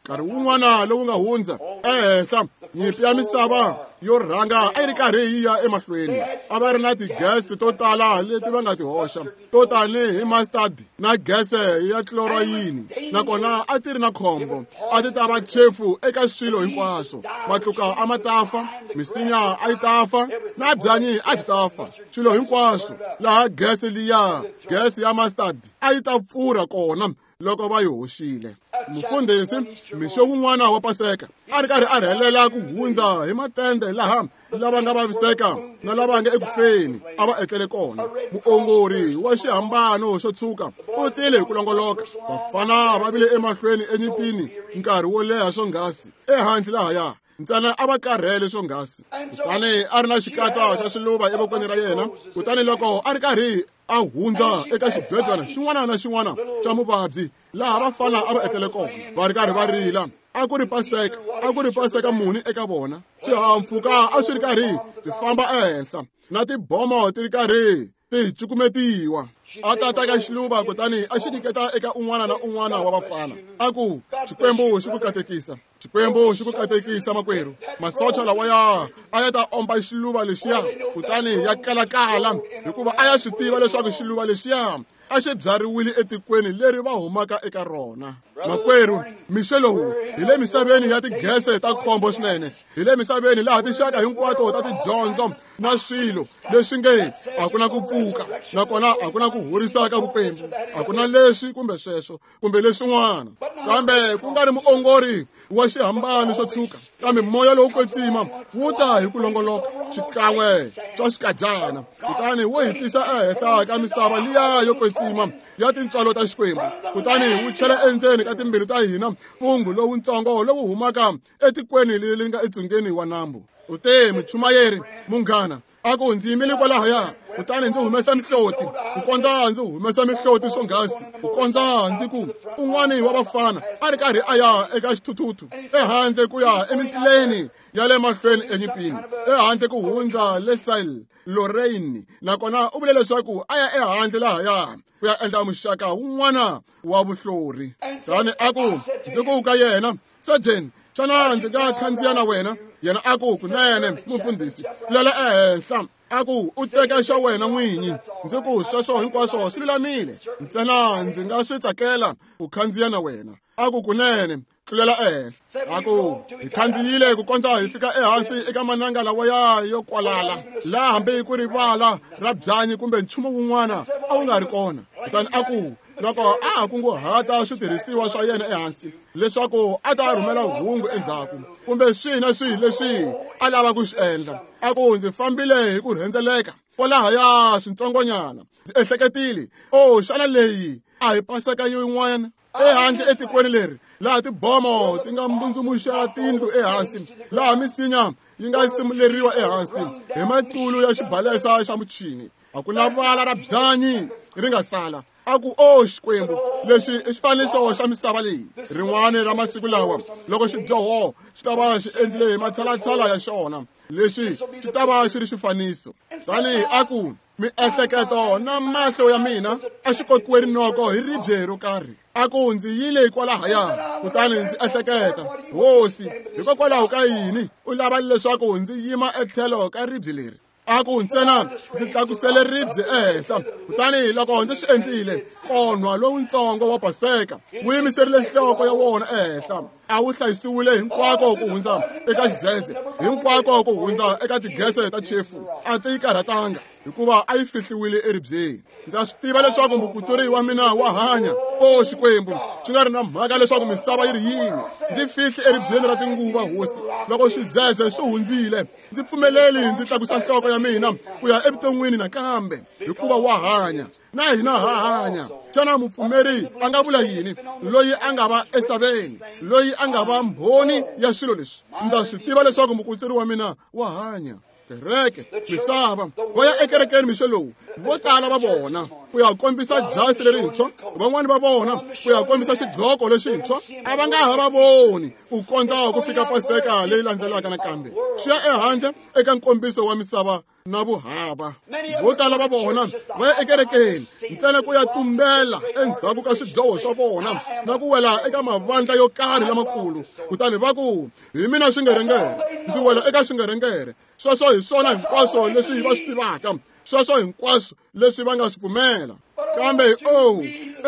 A: Nkarhi wun'wana lowu nga hundza ehenhla, nyimpi ya misava yo rhanga a yi ri karhi yi ya emahlweni. A va ri na tigese to tala leti va nga ti hoxa, to tanihi mustard na gese ya chlorine, nakona a ti ri na khombo. A ti ta va chefu eka swilo hinkwaswo. Matluka a ma ta fa, misinya a yi ta fa, na byanyi a byi ta fa. Swilo hinkwaswo laha gese liya, gese ya mustard a yi ta pfurha kona loko va yi hoxile. Mufundhisi mixo wun'wana wa Paseka a ri karhi a rhelela ku hundza hi matende laha lava nga vaviseka na lava nga ekufeni a va etlele kona. Muongori wa xihambano xo tshuka u tile hi ku longoloka. Vafana va vile emahlweni enyimpini nkarhi wo leha swonghasi ehandle lahaya ntsena a va karhele swonghasi. Kutani a ri na xikatsa xa swiluva evokweni ra yena. Kutani loko a ri karhi a hundza eka xibedwana xin'wana na xin'wana xa muvabyi laha vafana a va etlele kona va ri karhi va rila. A ku ri Paseka, a ku ri Paseka muni eka vona. Swihahampfhuka a swi ri karhi swi famba ehenhla na tibomo ti ri karhi ti cukumetiwa. A tata ka xiluva kutani a xi nyiketa eka un'wana na un'wana wa vafana. A ku, Xikwembu xi ku katekisa, Xikwembu xi ku katekisa makwerhu. Masocha lawaya a ya ta omba xiluva lexiya kutani ya kalakala hikuva a ya swi tiva leswaku xiluva lexiya a xi byariwile etikweni leri va humaka eka rona. Makwerhu, mixo lowu hi le misaveni ya tigese ta khombo swinene. Hi le misaveni laha tinxaka hinkwato ta tidyondzo na swilo leswi nge a ku na ku pfuka nakona a ku na ku horisa ka vukwembu, a ku na leswi kumbe sweswo kumbe leswin'wana. Kambe ku nga ri muongori wa xihambano xo tshuka, kambe moya lowu kwetsima wu ta hi ku longoloka xikan'we swa xikadyana, kutani wu hi tisa ehenhla ka misava liya yo kwetsima ya tintswalo ta Xikwembu. Kutani wu chela endzeni ka timbilu ta hina mpungu lowutsongo lowu humaka etikweni leri nga etsungeni wa nambu. U te, muchumayeri munghana, a ku ndzi yimile kwalahaya kutani ndzi humesa mihloti ku kondza ndzi humesa mihloti swonghasi ku kondza ndzi ku un'wani wa vafana a ri karhi a ya eka xithuthuthu ehandle ku ya emitileni ya le mahlweni enyimpini ehandle ku hundza le Sail Lorraine, nakona u vule leswaku a ya ehandle lahaya ku ya endla muxaka wun'wana wa vuhlori. Tani a ku ndzi ku ka yena, Sergeant, xana ndzi nga khandziya na wena? Yena a ku, kunene mufundhisi, lela ehenhla. A ku u teka xa wena n'winyi. Ndzi ku sweswo hinkwaswo swi lulamile, ntsena ndzi nga swi tsakela ku khandziya na wena. A ku kunene, tlulela ehenhla. A ku hi khandziyile ku kondza hi fika ehansi eka mananga lawaya yo kwalala laha hambi ku ri vala ra byanyi kumbe nchumu wun'wana a wu nga ri kona. Kutani a ku loko a ha kunguhata switirhisiwa swa yena ehansi leswaku a ta rhumela hungu endzhaku kumbe swihi na swihi leswi a lava ku swi endla, a ku ndzi fambile hi ku rhendzeleka kwalahaya switsongonyana. Ndzi ehleketile, o xana leyi a hi Paseka yin'wana ehandle etikweni leri laha tibomo ti nga mbundzumuxela tindlu ehansi, laha misinya yi nga simuleriwa ehansi hi matulu ya xibalesa xa muchini, a ku na vala ra byanyi ri nga sala. A ku, o Xikwembu, lexi i xifaniso xa misava leyi. Rin'wana ra masiku lawa loko xidyoho xi ta va xi endlile hi matshalatshala ya xona, lexi xi ta va xi ri xifaniso. Tani a ku miehleketo na mahlo ya mina a xi kokiwe rinoko hi ribye ro karhi. A ku ndzi yile kwalahaya kutani ndzi ehleketa, Hosi, hikokwalaho ka yini u lava leswaku ndzi yima etlhelo ka ribye leri? A ku ntsena ndzi tlakusele ribye ehenhla. Kutani loko ndzi swi endlile, konwa lowutsongo wa Paseka wu yimiserile nhloko ya wona ehenhla. A wu hlayisiwile hinkwako ku hundza eka xidzedze, hinkwako ku hundza eka tigese ta chefu. A ti yi karhatanga hikuva a yi fihliwile eribyeni. Ndza swi tiva leswaku mukutsuri wa mina wa hanya. O Xikwembu, swi nga ri na mhaka leswaku misava yi ri yini, ndzi fihli eribyeni ra tinguva, Hosi. Loko xidzedze swi hundzile, ndzi pfumeleli ndzi tlakusa nhloko ya mina ku ya evuton'wini nakambe, hikuva wa hanya na hina ha hanya. Xana mupfumeri a nga vula yini loyi a nga va esaveni, loyi a nga va mbhoni ya swilo leswi? Ndza swi tiva leswaku mukutsuri wa mina wa hanya. Kereke, misava, va ya ekerekeni mixo lowu, vo tala va vona ku ya kombisa jasi lerintshwa, van'wani va vona ku ya kombisa xidloko lexintshwa, a va nga ha va voni ku kondza ku fika Paseka leyi landzelaka nakambe. Swi ya ehandle eka nkombiso wa misava na vuhava. Vo tala va vona va ya ekerekeni ntsena ku ya tumbela endzhaku ka swidyoho swa vona na ku wela eka mavandla yo karhi lamakulu. Kutani va ku, hi mina xingerengere, ndzi wela eka xingerengere. Sweswo hi swona hinkwaswo leswi va swi tivaka, sweswo hinkwaswo leswi va nga swi pfumela. Kambe o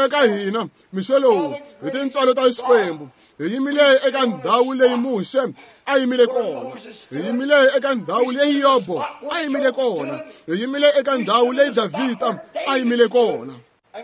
A: eka hina mixo lowu hi tintswalo ta Xikwembu hi yimile eka ndhawu leyi Muxe a yimile kona, hi yimile eka ndhawu leyi Yobo a yimile kona, hi yimile eka ndhawu leyi Davhida a yimile kona.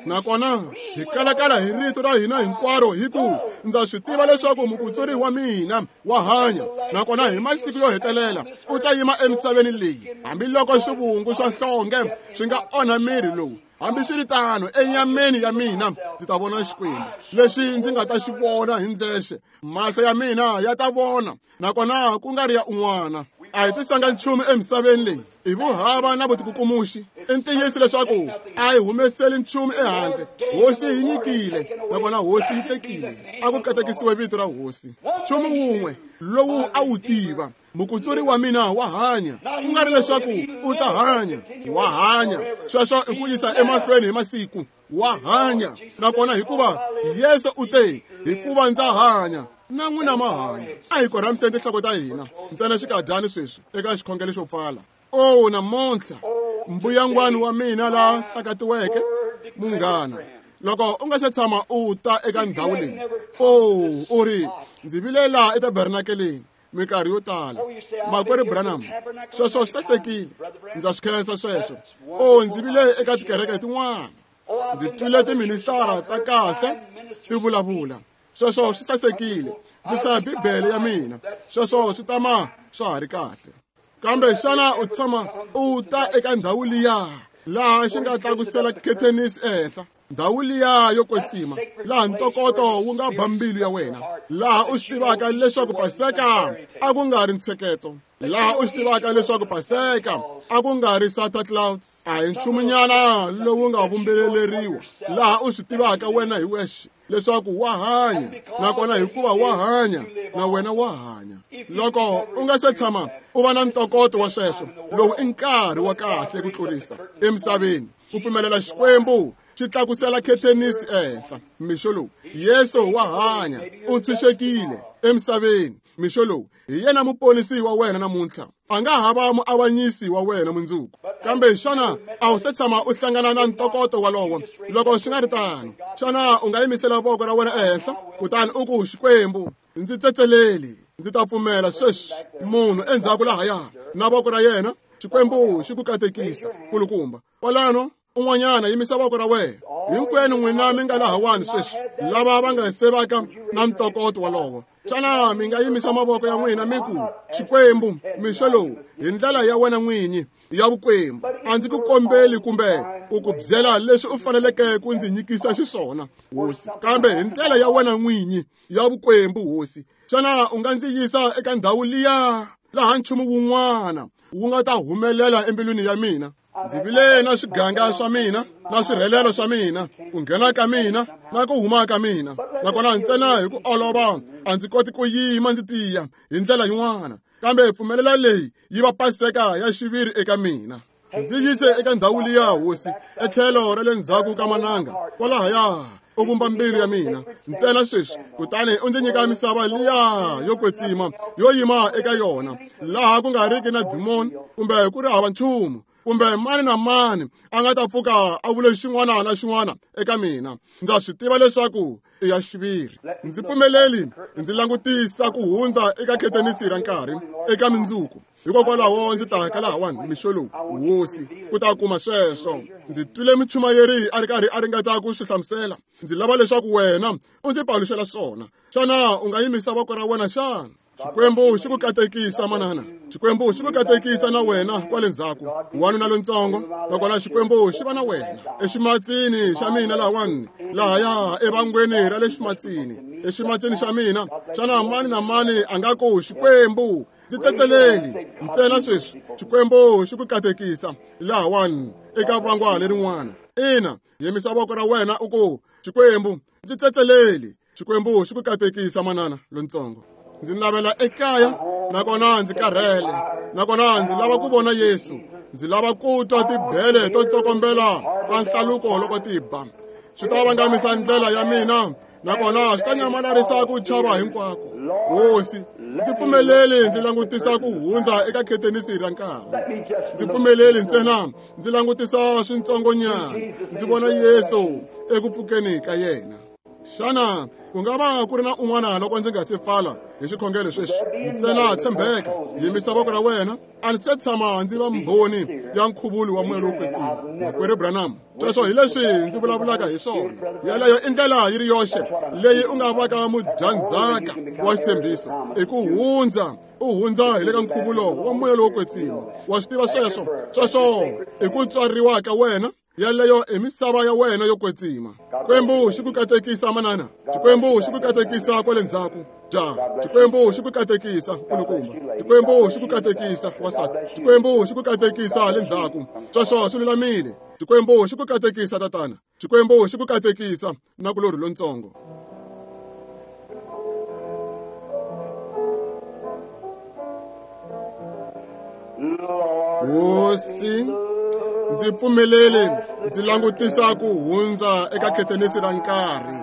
A: Nakona hi kalakala hi rito ra hina hinkwaro hi ku ndza swi tiva leswaku mukutsuri wa mina wa hanya, nakona hi masiku yo hetelela u ta yima emisaveni leyi, hambiloko swivungu swa nhlonge swi nga onha miri lowu. Hambiswiritano enyameni ya mina ndzi ta vona Xikwembu lexi ndzi nga ta xi vona hi ndzexe, mahlo ya mina ya ta vona, nakona ku nga ri ya un'wana. A hi tisanga nchumu emisaveni leyi hi vuhava na vutikukumuxi. I ntiyiso leswaku a hi humeseli nchumu ehandle. Hosi yi nyikile, nakona hosi yi tekile. A ku katekisiwe vito ra hosi. Nchumu wun'we lowu a wu tiva, mukutsuri wa mina wa hanya. Ku nga ri leswaku u ta hanya, wa hanya. Sweswo i ku yisa emahlweni hi masiku, wa hanya. Nakona hikuva Yesu u te, hikuva ndza hanya, na n'wina ma hanya. A hi korhamiseni tinhloko ta hina ntsena xikadyani sweswi eka xikhongelo xo pfala. O namuntlha mbuyangwani wa mina la hlakatiweke, munghana, loko u nga se tshama u ta eka ndhawu leyi, o u ri ndzi vile laha etabernakeleni minkarhi yo tala, makwerhu Branham, sweswo swi sasekile, ndza swi khensa sweswo. O ndzi vile eka tikereke tin'wana, ndzi twile tiministara ta kahle ti vulavula, sweswo swi sasekile, ndzi hlaya Bibele ya mina, sweswo swi tama swa ha ri kahle. Kambe xana u tshama u ta eka ndhawu liya laha xi nga tlakusela khethenisi ehenhla, ndhawu liya yo kwetsima, laha ntokoto wu nga ba mbilu ya wena, laha u swi tivaka leswaku Paseka a ku nga ri ntsheketo, laha u swi tivaka leswaku Paseka a ku nga ri Santa Claus, a hi nchumunyana lowu nga vumbeleleriwa, laha u swi tivaka wena hi wexe leswaku wa hanya, nakona hikuva wa hanya na wena wa hanya. Loko u nga se tshama u va na ntokoto wa sweswo, lowu i nkarhi wa kahle ku tlurisa emisaveni ku pfumelela Xikwembu xi tlakusela khethenisi ehenhla. Mixo lowu Yesu wa hanya, u ntshunxekile emisaveni. Mixo lowu hi yena muponisi wa wena namuntlha, a nga ha va muavanyisi wa wena mundzuku. Kambe xana a wu se tshama u hlangana na ntokoto walowo? Loko swi nga ri tano, xana u nga yimisela voko ra wena ehenhla kutani u ku, Xikwembu, ndzi tsetseleli, ndzi ta pfumela sweswi. Munhu endzhaku lahaya na voko ra yena, Xikwembu xi ku katekisa kulukumba. Kwalano un'wanyana yimisa voko ra wena. Hinkwenu n'wina mi nga lahawani sweswi, lava va nga sevaka na ntokoto walowo, xana mi nga yimisa mavoko ya n'wina mi ku, Xikwembu, mixo lowu hi ndlela ya wena n'winyi ya vukwembu, a ndzi ku kombeli kumbe ku ku byela leswi u faneleke ku ndzi nyikisa xiswona, hosi, kambe hi ndlela ya wena n'winyi ya vukwembu, hosi, xana u nga ndzi yisa eka ndhawu liya laha nchumu wun'wana wu nga ta humelela embilwini ya mina? Ndzi vile na swiganga swa mina na swirhelelo swa mina, ku nghena ka mina na ku huma ka mina, nakona ntsena hi ku olova a ndzi koti ku yima ndzi tiya hi ndlela yin'wana, kambe pfumelela leyi yi va Paseka ya xiviri eka mina. Ndzi yise eka ndhawu liya, hosi, etlhelo ra le ndzhaku ka mananga kwalahaya, u vumba mbilu ya mina ntsena sweswi, kutani u ndzi nyika misava liya yo kwetsima yo yima eka yona, laha ku nga riki na dimoni kumbe ku ri hava nchumu, kumbe mani na mani a nga ta pfuka a vule xin'wana na xin'wana eka mina. Ndza swi tiva leswaku i ya xiviri. Ndzi pfumeleli ndzi langutisa ku hundza eka khethenisi ra nkarhi eka mindzuku. Hikokwalaho ndzi ta ka lahawani mixo lowu, hosi, ku ta kuma sweswo. Ndzi twile muchumayeri a ri karhi a ringeta ku swi hlamusela. Ndzi lava leswaku wena u ndzi paluxela swona. Xana u nga yimisa voko ra wena xana? Xikwembu xi ku katekisa manana, Xikwembu xi ku katekisa na wena kwale ndzhaku, wanuna lontsongo, nakona Xikwembu xi va na wena. Eximatsini xa mina lahawani, lahaya evangweni ra le ximatsini, eximatsini xa mina, xana mani na mani a nga ku, Xikwembu, ndzi tsetseleli ntsena sweswi. Xikwembu xi ku katekisa lahawani eka vangwa lerin'wana. Ina, yimisa voko ra wena u ku, Xikwembu, ndzi tsetseleli. Xikwembu xi ku katekisa manana lontsongo. Ndzi navela ekaya, nakona ndzi karhele, nakona ndzi lava ku vona Yesu. Ndzi lava ku twa tibele to tsokombela ta nhlaluko loko ti ba. Swi ta vangamisa ndlela ya mina, nakona swi ta nyamalarisa ku chava hinkwako. Hosi, ndzi pfumeleli ndzi langutisa ku hundza eka khethenisi ra nkarhi. Ndzi pfumeleli ntsena ndzi langutisa swintsongonyana, ndzi vona Yesu eku pfukeni ka yena. Xana ku nga va ku ri na un'wana loko ndzi nga se pfala Hi xikhongelo sweswi ntsena tshembeka, yimisa voko ra wena. A ndzi se tshama ndzi va mbhoni ya nkhuvulo wa moya lowo kwetsima. Makwerhu Branham, sweswo hi leswi ndzi vulavulaka hi swona. Yeleyo i ndlela yi ri yoxe leyi u nga vaka mudyandzhaka wa xitshembiso, i ku hundza u hundza hi le ka nkhuvulo wa moya lowo kwetsima. Wa swi tiva sweswo? Sweswo i ku tswariwa ka wena. Yeleyo i misava ya wena yo kwetsima. Xikwembu xi ku katekisa manana. Xikwembu xi ku katekisa kwale ndzhaku. Ja, Xikwembu xi ku katekisa nkulukumba. Xikwembu xi ku katekisa wasati. Xikwembu xi ku katekisa le ndzhaku. Sweswo swi lulamile. Xikwembu xi ku katekisa tatana. Xikwembu xi ku katekisa nakulorhi lontsongo. Hosi, ndzi pfumeleli ndzi langutisa ku hundza eka khetenisi ra nkarhi.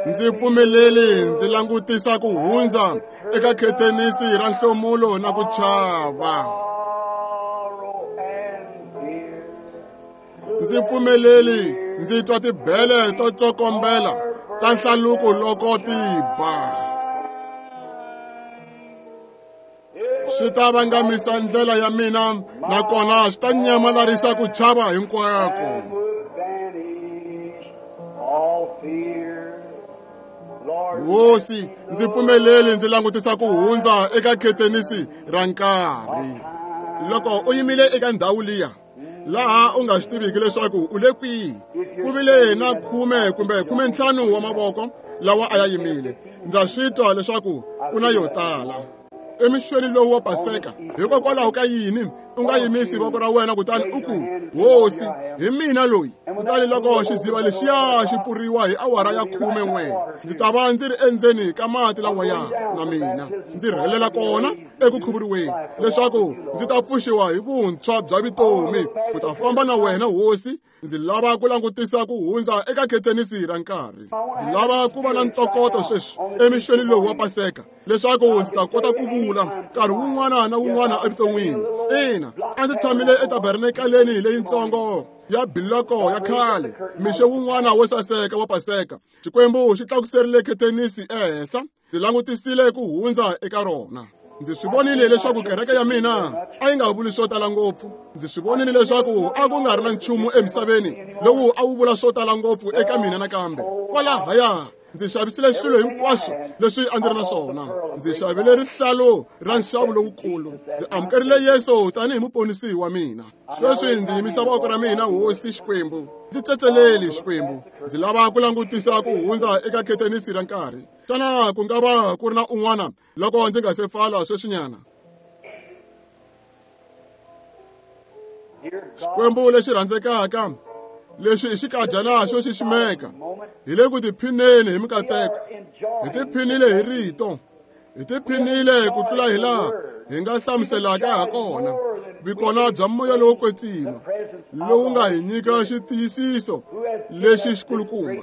A: Ndzi pfumeleli ndzi langutisa ku hundza eka khetenisi ra nhlomulo na ku chava. Ndzi pfumeleli ndzi twa tibele to tsokombela ta nhlaluko loko ti ba. Swi ta vangamisa ndlela ya mina, nakona swi ta nyamalarisa ku chava hinkwako. Hosi, ndzi pfumeleli ndzi langutisa ku hundza eka khetenisi ra nkarhi. Loko u yimile eka ndhawu liya laha u nga swi tiviki leswaku u le kwihi, ku vile na khume kumbe khumentlhanu wa mavoko lawa a ya yimile. Ndza swi twa leswaku ku na yo tala. Emixweni lowu wa Paseka, hikokwalaho ka yini u nga yimisi voko ra wena kutani u ku, Hosi, hi mina loyi? Kutani loko xiziva lexiya xi pfuriwa hi awara ya khume n'we, ndzi ta va ndzi ri endzeni ka mati lawaya na mina ndzi rhelela kona eku khuvuriweni, leswaku ndzi ta pfuxiwa hi vuntshwa bya vutomi ku ta famba na wena Hosi. Ndzi lava ku langutisa ku hundza eka khetenisi ra nkarhi. Ndzi lava ku va na ntokoto sweswi emixweni lowu wa Paseka, leswaku ndzi ta kota ku vula nkarhi wun'wana na wun'wana evuton'wini. Ina, a ndzi tshamile etabernakaleni leyintsongo ya biloko ya khale mixo wun'wana wo saseka wa Paseka. Xikwembu xi tlakuserile khetenisi ehenhla. Ndzi langutisile ku hundza eka rona. Ndzi swi vonile leswaku kereke ya mina a yi nga vuli swo tala ngopfu. Ndzi swi vonile leswaku a ku nga ri na nchumu emisaveni lowu a wu vula swo tala ngopfu eka mina nakambe. Kwalahaya ndzi xavisile swilo hinkwaswo leswi a ndzi ri na swona. Ndzi xavile rihlalu ra nxavo lowukulu. Ndzi amukerile Yesu tanihi muponisi wa mina. Sweswi ndzi yimisa voko ra mina, Hosi Xikwembu. Ndzi tsetseleli Xikwembu. Ndzi lava ku langutisa ku hundza eka khetenisi ra nkarhi. Xana ku nga va ku ri na un'wana loko ndzi nga se pfala sweswinyana? Xikwembu lexi rhandzekaka, lexi i xikadyana xo xiximeka, hi le ku tiphineni hi mikateko. Hi tiphinile hi rito, hi tiphinile ku tlula hi laha hi nga hlamuselaka ha kona vikona bya moya lowo kwetsima lowu nga hi nyika xitiyisiso lexi xikulukumba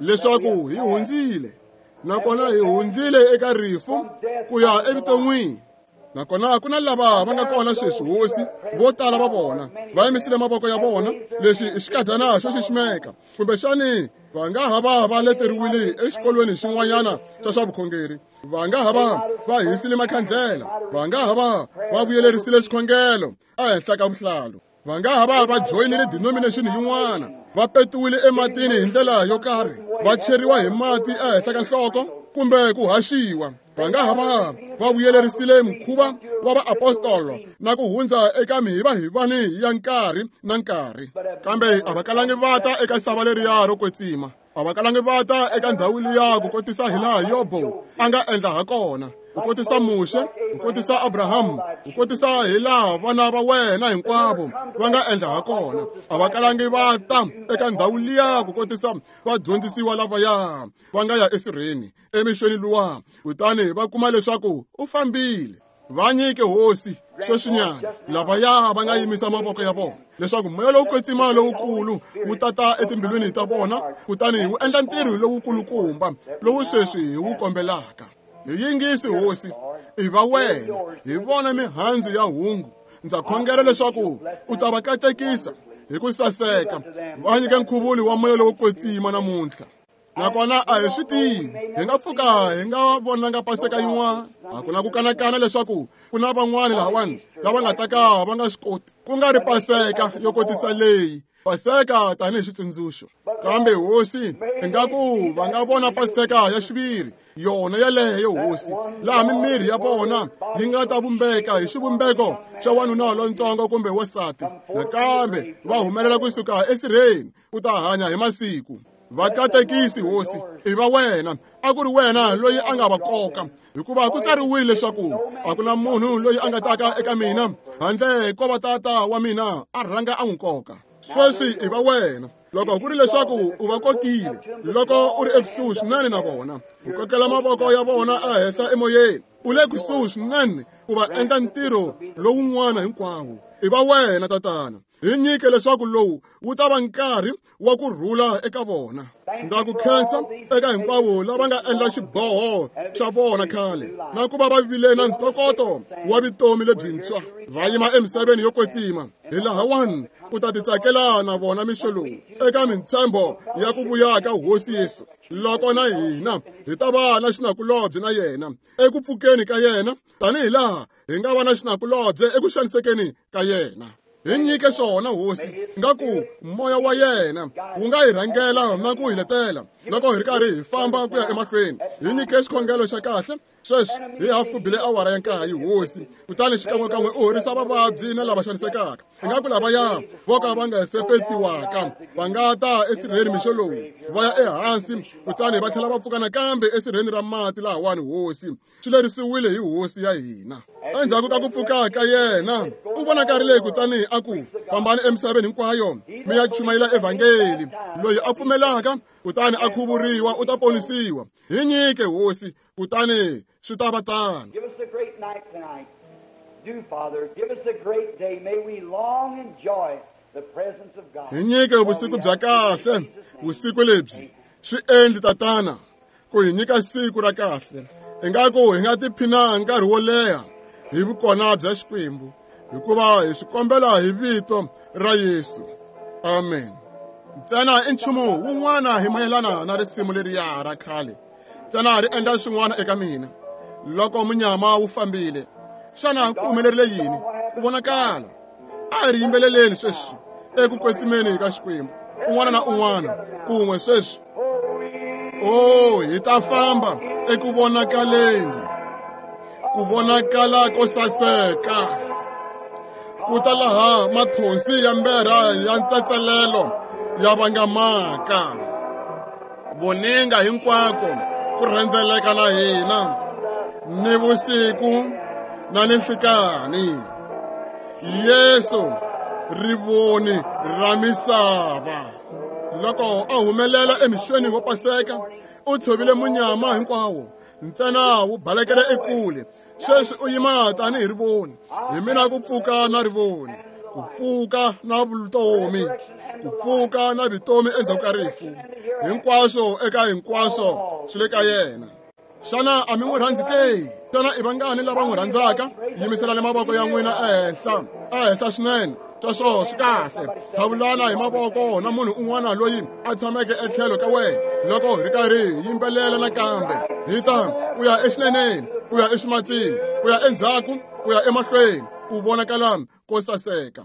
A: leswaku hi hundzile, nakona hi hundzile eka rifu ku ya evuton'wini. Nakona ku na lava va nga kona sweswi, Hosi, vo tala va vona va yimisile mavoko ya vona. Lexi i xikadyana xo xiximeka. Kumbexani va nga ha va va leteriwile exikolweni xin'wanyana xa swa vukhongeri, va nga ha va va hisile makhandlela, va nga ha va va vuyelerisile xikhongelo ehenhla ka vuhlalu, va nga ha va va joyinile denomination yin'wana, va petiwile ematini hi ndlela yo karhi, va cheriwa hi mati ehenhla ka nhloko kumbe ku haxiwa. Va nga ha va va vuyelerisile mukhuva wa vaapostolo na ku hundza eka mihivahivani ya nkarhi na nkarhi, kambe a va kalangi va ta eka sava leriya ro kwetsima. A va kalangi va ta eka ndhawu liya ku kotisa hilaha Yobo a nga endla ha kona, ku kotisa Muxe, ku kotisa Abrahamu, ku kotisa hilaha vana va wena hinkwavo va nga endla ha kona. A va kalangi va ta eka ndhawu liya ku kotisa vadyondzisiwa lavaya va nga ya esirheni emixweni luwa, kutani va kuma leswaku u fambile. Va nyike Hosi sweswinyana lavaya va nga yimisa mavoko ya vona leswaku moya lowu kwetsima lowukulu wu tata etimbilwini ta vona, kutani wu endla ntirho lowukulukumba lowu sweswi hi wu kombelaka. Hi yingisi Hosi, i va wena, hi vona mihandzu ya hungu. Ndza khongela leswaku u ta va katekisa hi ku saseka, va nyika nkhuvulo wa moya lowo kwetsima namuntlha. Nakona a hi swi tivi, hi nga pfuka hi nga vonanga paseka yin'wana. A ku na ku kanakana leswaku ku na van'wani lahawani lava nga ta ka va nga swi koti, ku nga ri paseka yo kotisa leyi, paseka tanihi xitsundzuxo. Kambe hosi, ingaku va nga vona paseka ya xiviri, yona yeleyo hosi, laha mimiri ya vona yi nga ta vumbeka hi xivumbeko xa wanuna lontsongo kumbe wansati, nakambe va humelela kusuka esirheni ku ta hanya hi masiku. Va katekisi hosi, i va wena, a ku ri wena loyi a nga va koka, hikuva ku tsariwile leswaku a ku na munhu loyi a nga taka eka mina handle ko va tata wa mina a rhanga a n'wi koka. Sweswi i va wena. Loko ku ri leswaku u va kokile, loko u ri ekusuhi swinene na vona, u kokela mavoko ya vona ehenhla emoyeni, u le kusuhi swinene ku va endla ntirho lowun'wana hinkwawo. I va wena tatana. Hi nyike leswaku lowu wu ta va nkarhi wa ku rhula eka vona. Ndza ku khensa eka hinkwavo lava nga endla xiboho xa vona khale, na ku va va vile na ntokoto wa vutomi lebyintshwa, va yima emisaveni yo kwetsima. Hi lahawani u ta titsakela na vona mixo lowu eka mintshembo ya ku vuya ka Hosi Yesu. Loko na hina hi ta va na xinakulobye na yena eku pfukeni ka yena, tanihi laha hi nga va na xinakulobye eku xanisekeni ka yena. Hi nyike swona hosi, ngaku moya wa yena wu nga hi rhangela na ku hi letela loko hi ri karhi hi famba ku ya emahlweni. Hi nyike xikhongelo xa kahle sweswi hi hafu ku bile awara ya nkaye hosi, kutani xikan'wekan'we u horisa vavabyi na lava xanisekaka. Ingaku lavaya vo ka va nga sepetiwaka va nga ta esirheni mixo lowu, va ya ehansi kutani va tlhela va pfuka nakambe esirheni ra mati lahawani hosi. Swi lerisiwile hi hosi ya hina. Endzhaku ka ku pfuka ka yena, u vonakarile kutani a ku, fambani emisaveni hinkwayo mi ya chumayela evhangeli. Loyi a pfumelaka kutani a khuvuriwa u ta ponisiwa. Hi nyike hosi, kutani swi ta va tano.
B: Give us a great night tonight. Do, Father, give us a great day. May we long enjoy the presence of God.
A: Hi nyike vusiku bya kahle, vusiku lebyi swi endli tatana ku hi nyika siku ra kahle. Ingaku hi nga tiphina nkarhi wo leha hi vukona bya Xikwembu, hikuva hi swi kombela hi vito ra Yesu. Amen. Ntsena i nchumu wun'wana hi mayelana na risimu leriya ra khale, ntsena ri endla swin'wana eka mina. Loko munyama wu fambile, xana ku humelerile yini? Ku vonakala. A hi ri yimbeleleni sweswi eku kwetsimeni ka Xikwembu, un'wana na un'wana kun'we sweswi. Oh, hi ta famba eku vonakaleni, ku vonakala ko saseka, ku ta laha mathonsi ya mberha ya ntsatselelo ya vangamaka, voninga hinkwako ku rhendzeleka na hina ni vusiku na ninhlikani. Yesu rivoni ra misava. Loko a humelela emixweni wa paseka, u tshovile munyama hinkwawo, ntsena wu balekela ekule. Sweswi u yima tanihi rivoni. Hi mina ku pfuka na rivoni, ku pfuka na vutomi, ku pfuka na vutomi endzhaku ka rifu. Hinkwaswo eka hinkwaswo swi le ka yena. Xana a mi n'wi rhandzi ke? Xana i vangani lava n'wi rhandzaka? Yimiselani mavoko ya n'wina ehenhla, ehenhla swinene. Sweswo swi kahle. Tlhavulana hi mavoko na munhu un'wana loyi a tshameke etlhelo ka wena loko hi ri karhi hi yimbelela nakambe. Hi ta ku ya exineneni, ku ya eximatsini, ku ya endzhaku, ku ya emahlweni, ku vonakala ko saseka.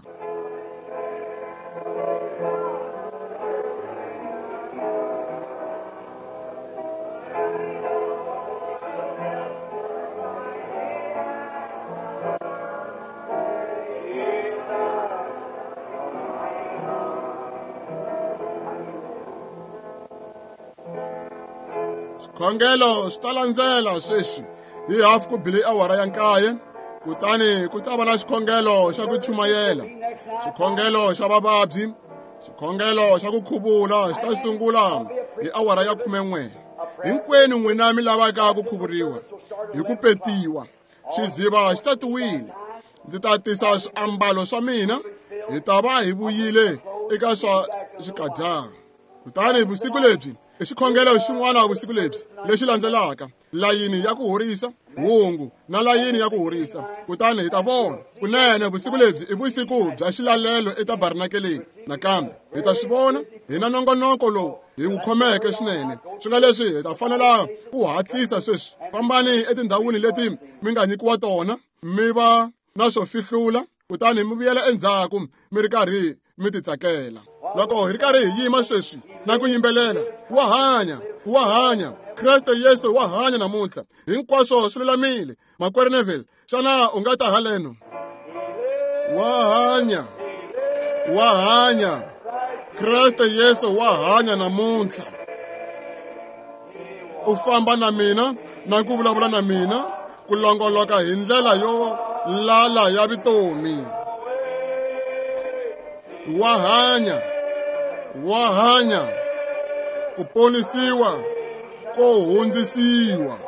A: Xikhongelo swi ta landzela sweswi hi hafu ku bile awara ya nkaye, kutani ku ta va na xikhongelo xa ku chumayela, xikhongelo xa vavabyi, xikhongelo xa ku khuvula xi ta sungula hi awara ya khumen'we. Hinkwenu n'wina mi lavaka ku khuvuriwa hi ku petiwa, xiziva xi tatiwile. Ndzi ta tisa swiambalo swa mina, hi ta va hi vuyile eka swa xikadyana. Kutani vusiku lebyi i xikhongelo xin'wana vusiku lebyi lexi landzelaka, layini ya ku horisa hungu na layini ya ku horisa. Kutani hi ta vona kunene vusiku lebyi i vusiku bya xilalelo etabarnakeleni. Nakambe hi ta swi vona hi na nongonoko lowu hi ku khomeke swinene. Swi nga leswi hi ta fanela ku hatlisa sweswi. Fambani etindhawini leti mi nga nyikiwa tona, mi va na swo fihlula, kutani mi vuyela endzhaku mi ri karhi mi titsakela. Loko hi ri karhi hi yima sweswi na ku yimbelela, wa hanya, wa hanya, Kreste Yesu wa hanya namuntlha. Hinkwaswo swi lulamile. Makwerhu Neville, xana u nga ta haleno? Wa hanya, wa hanya, Kreste Yesu wa hanya namuntlha. U famba na mina na ku vulavula na mina ku longoloka hi ndlela yo lala ya vutomi. Wa hanya, wa hanya, ku ponisiwa ko hundzisiwa.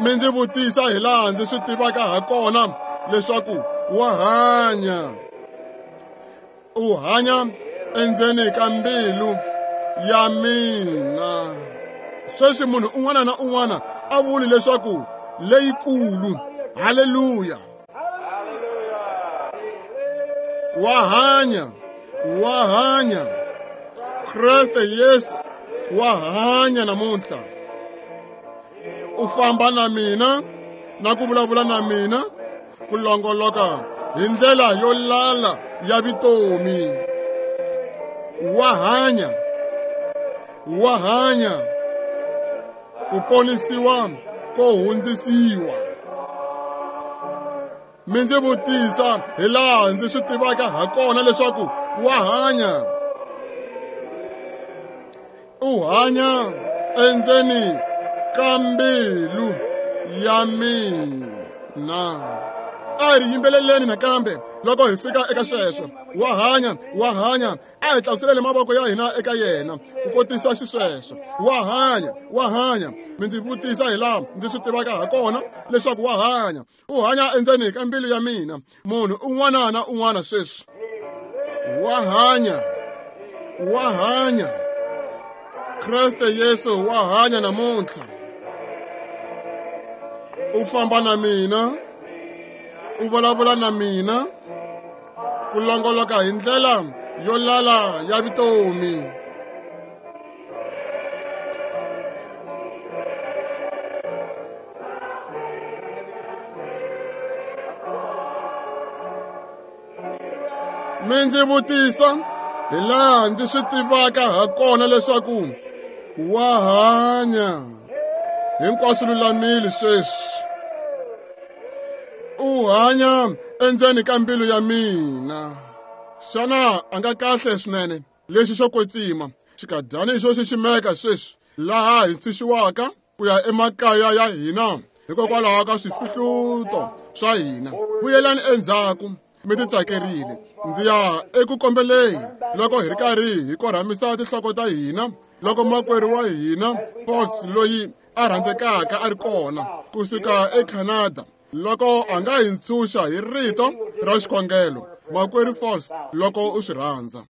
A: Mi ndzi vutisa hi laha ndzi swi tivaka ha kona leswaku wa hanya. U hanya endzeni ka mbilu ya mina. Sweswi munhu un'wana na un'wana a vuli leswaku leyikulu. Haleluya! Wa hanya, wa hanya, Kreste Yesu wa hanya namuntlha. U famba na mina na ku vulavula na mina ku longoloka hi ndlela yo lala ya vutomi. Wa hanya, wa hanya, ku ponisiwa ko hundzisiwa. Mi ndzi vutisa hi laha ndzi swi tivaka ha kona leswaku wa hanya. U hanya endzeni ka mbilu ya mina. A hi yimbeleleni nakambe loko hi fika eka sweswo. Wa hanya, wa hanya. A hi tlakuseleni mavoko ya hina eka yena ku kotisa xisweswo. Wa hanya, wa hanya. Mi ndzi vutisa hi laha ndzi swi tivaka ha kona leswaku wa hanya. U hanya endzeni ka mbilu ya mina. Munhu un'wana na un'wana sweswi. Wa hanya, wa hanya, Kreste Yesu wa hanya namuntlha. U famba na mina, u vulavula na mina ku longoloka hi ndlela yo lala ya vutomi. Mi ndzi vutisa hi laha ndzi swi tivaka ha kona leswaku wa hanya. Hinkwaswo lulamile sweswi. U hanya endzeni ka mbilu ya mina. Xana a nga kahle swinene? Lexi xo kwetsima xikadyani xo xiximeka sweswi, laha hi ntshunxiwaka ku ya emakaya ya hina hikokwalaho ka swifihluto swa hina. Vuyelani endzhaku mi titsakerile. Ndzi ya eku kombeleni loko hi ri karhi hi korhamisa tinhloko ta hina, loko makwerhu wa hina Fox loyi a rhandzekaka a ri kona kusuka eCanada, loko a nga hi ntshunxa hi rito ra xikhongelo. Makwerhu Fox, loko u swi rhandza.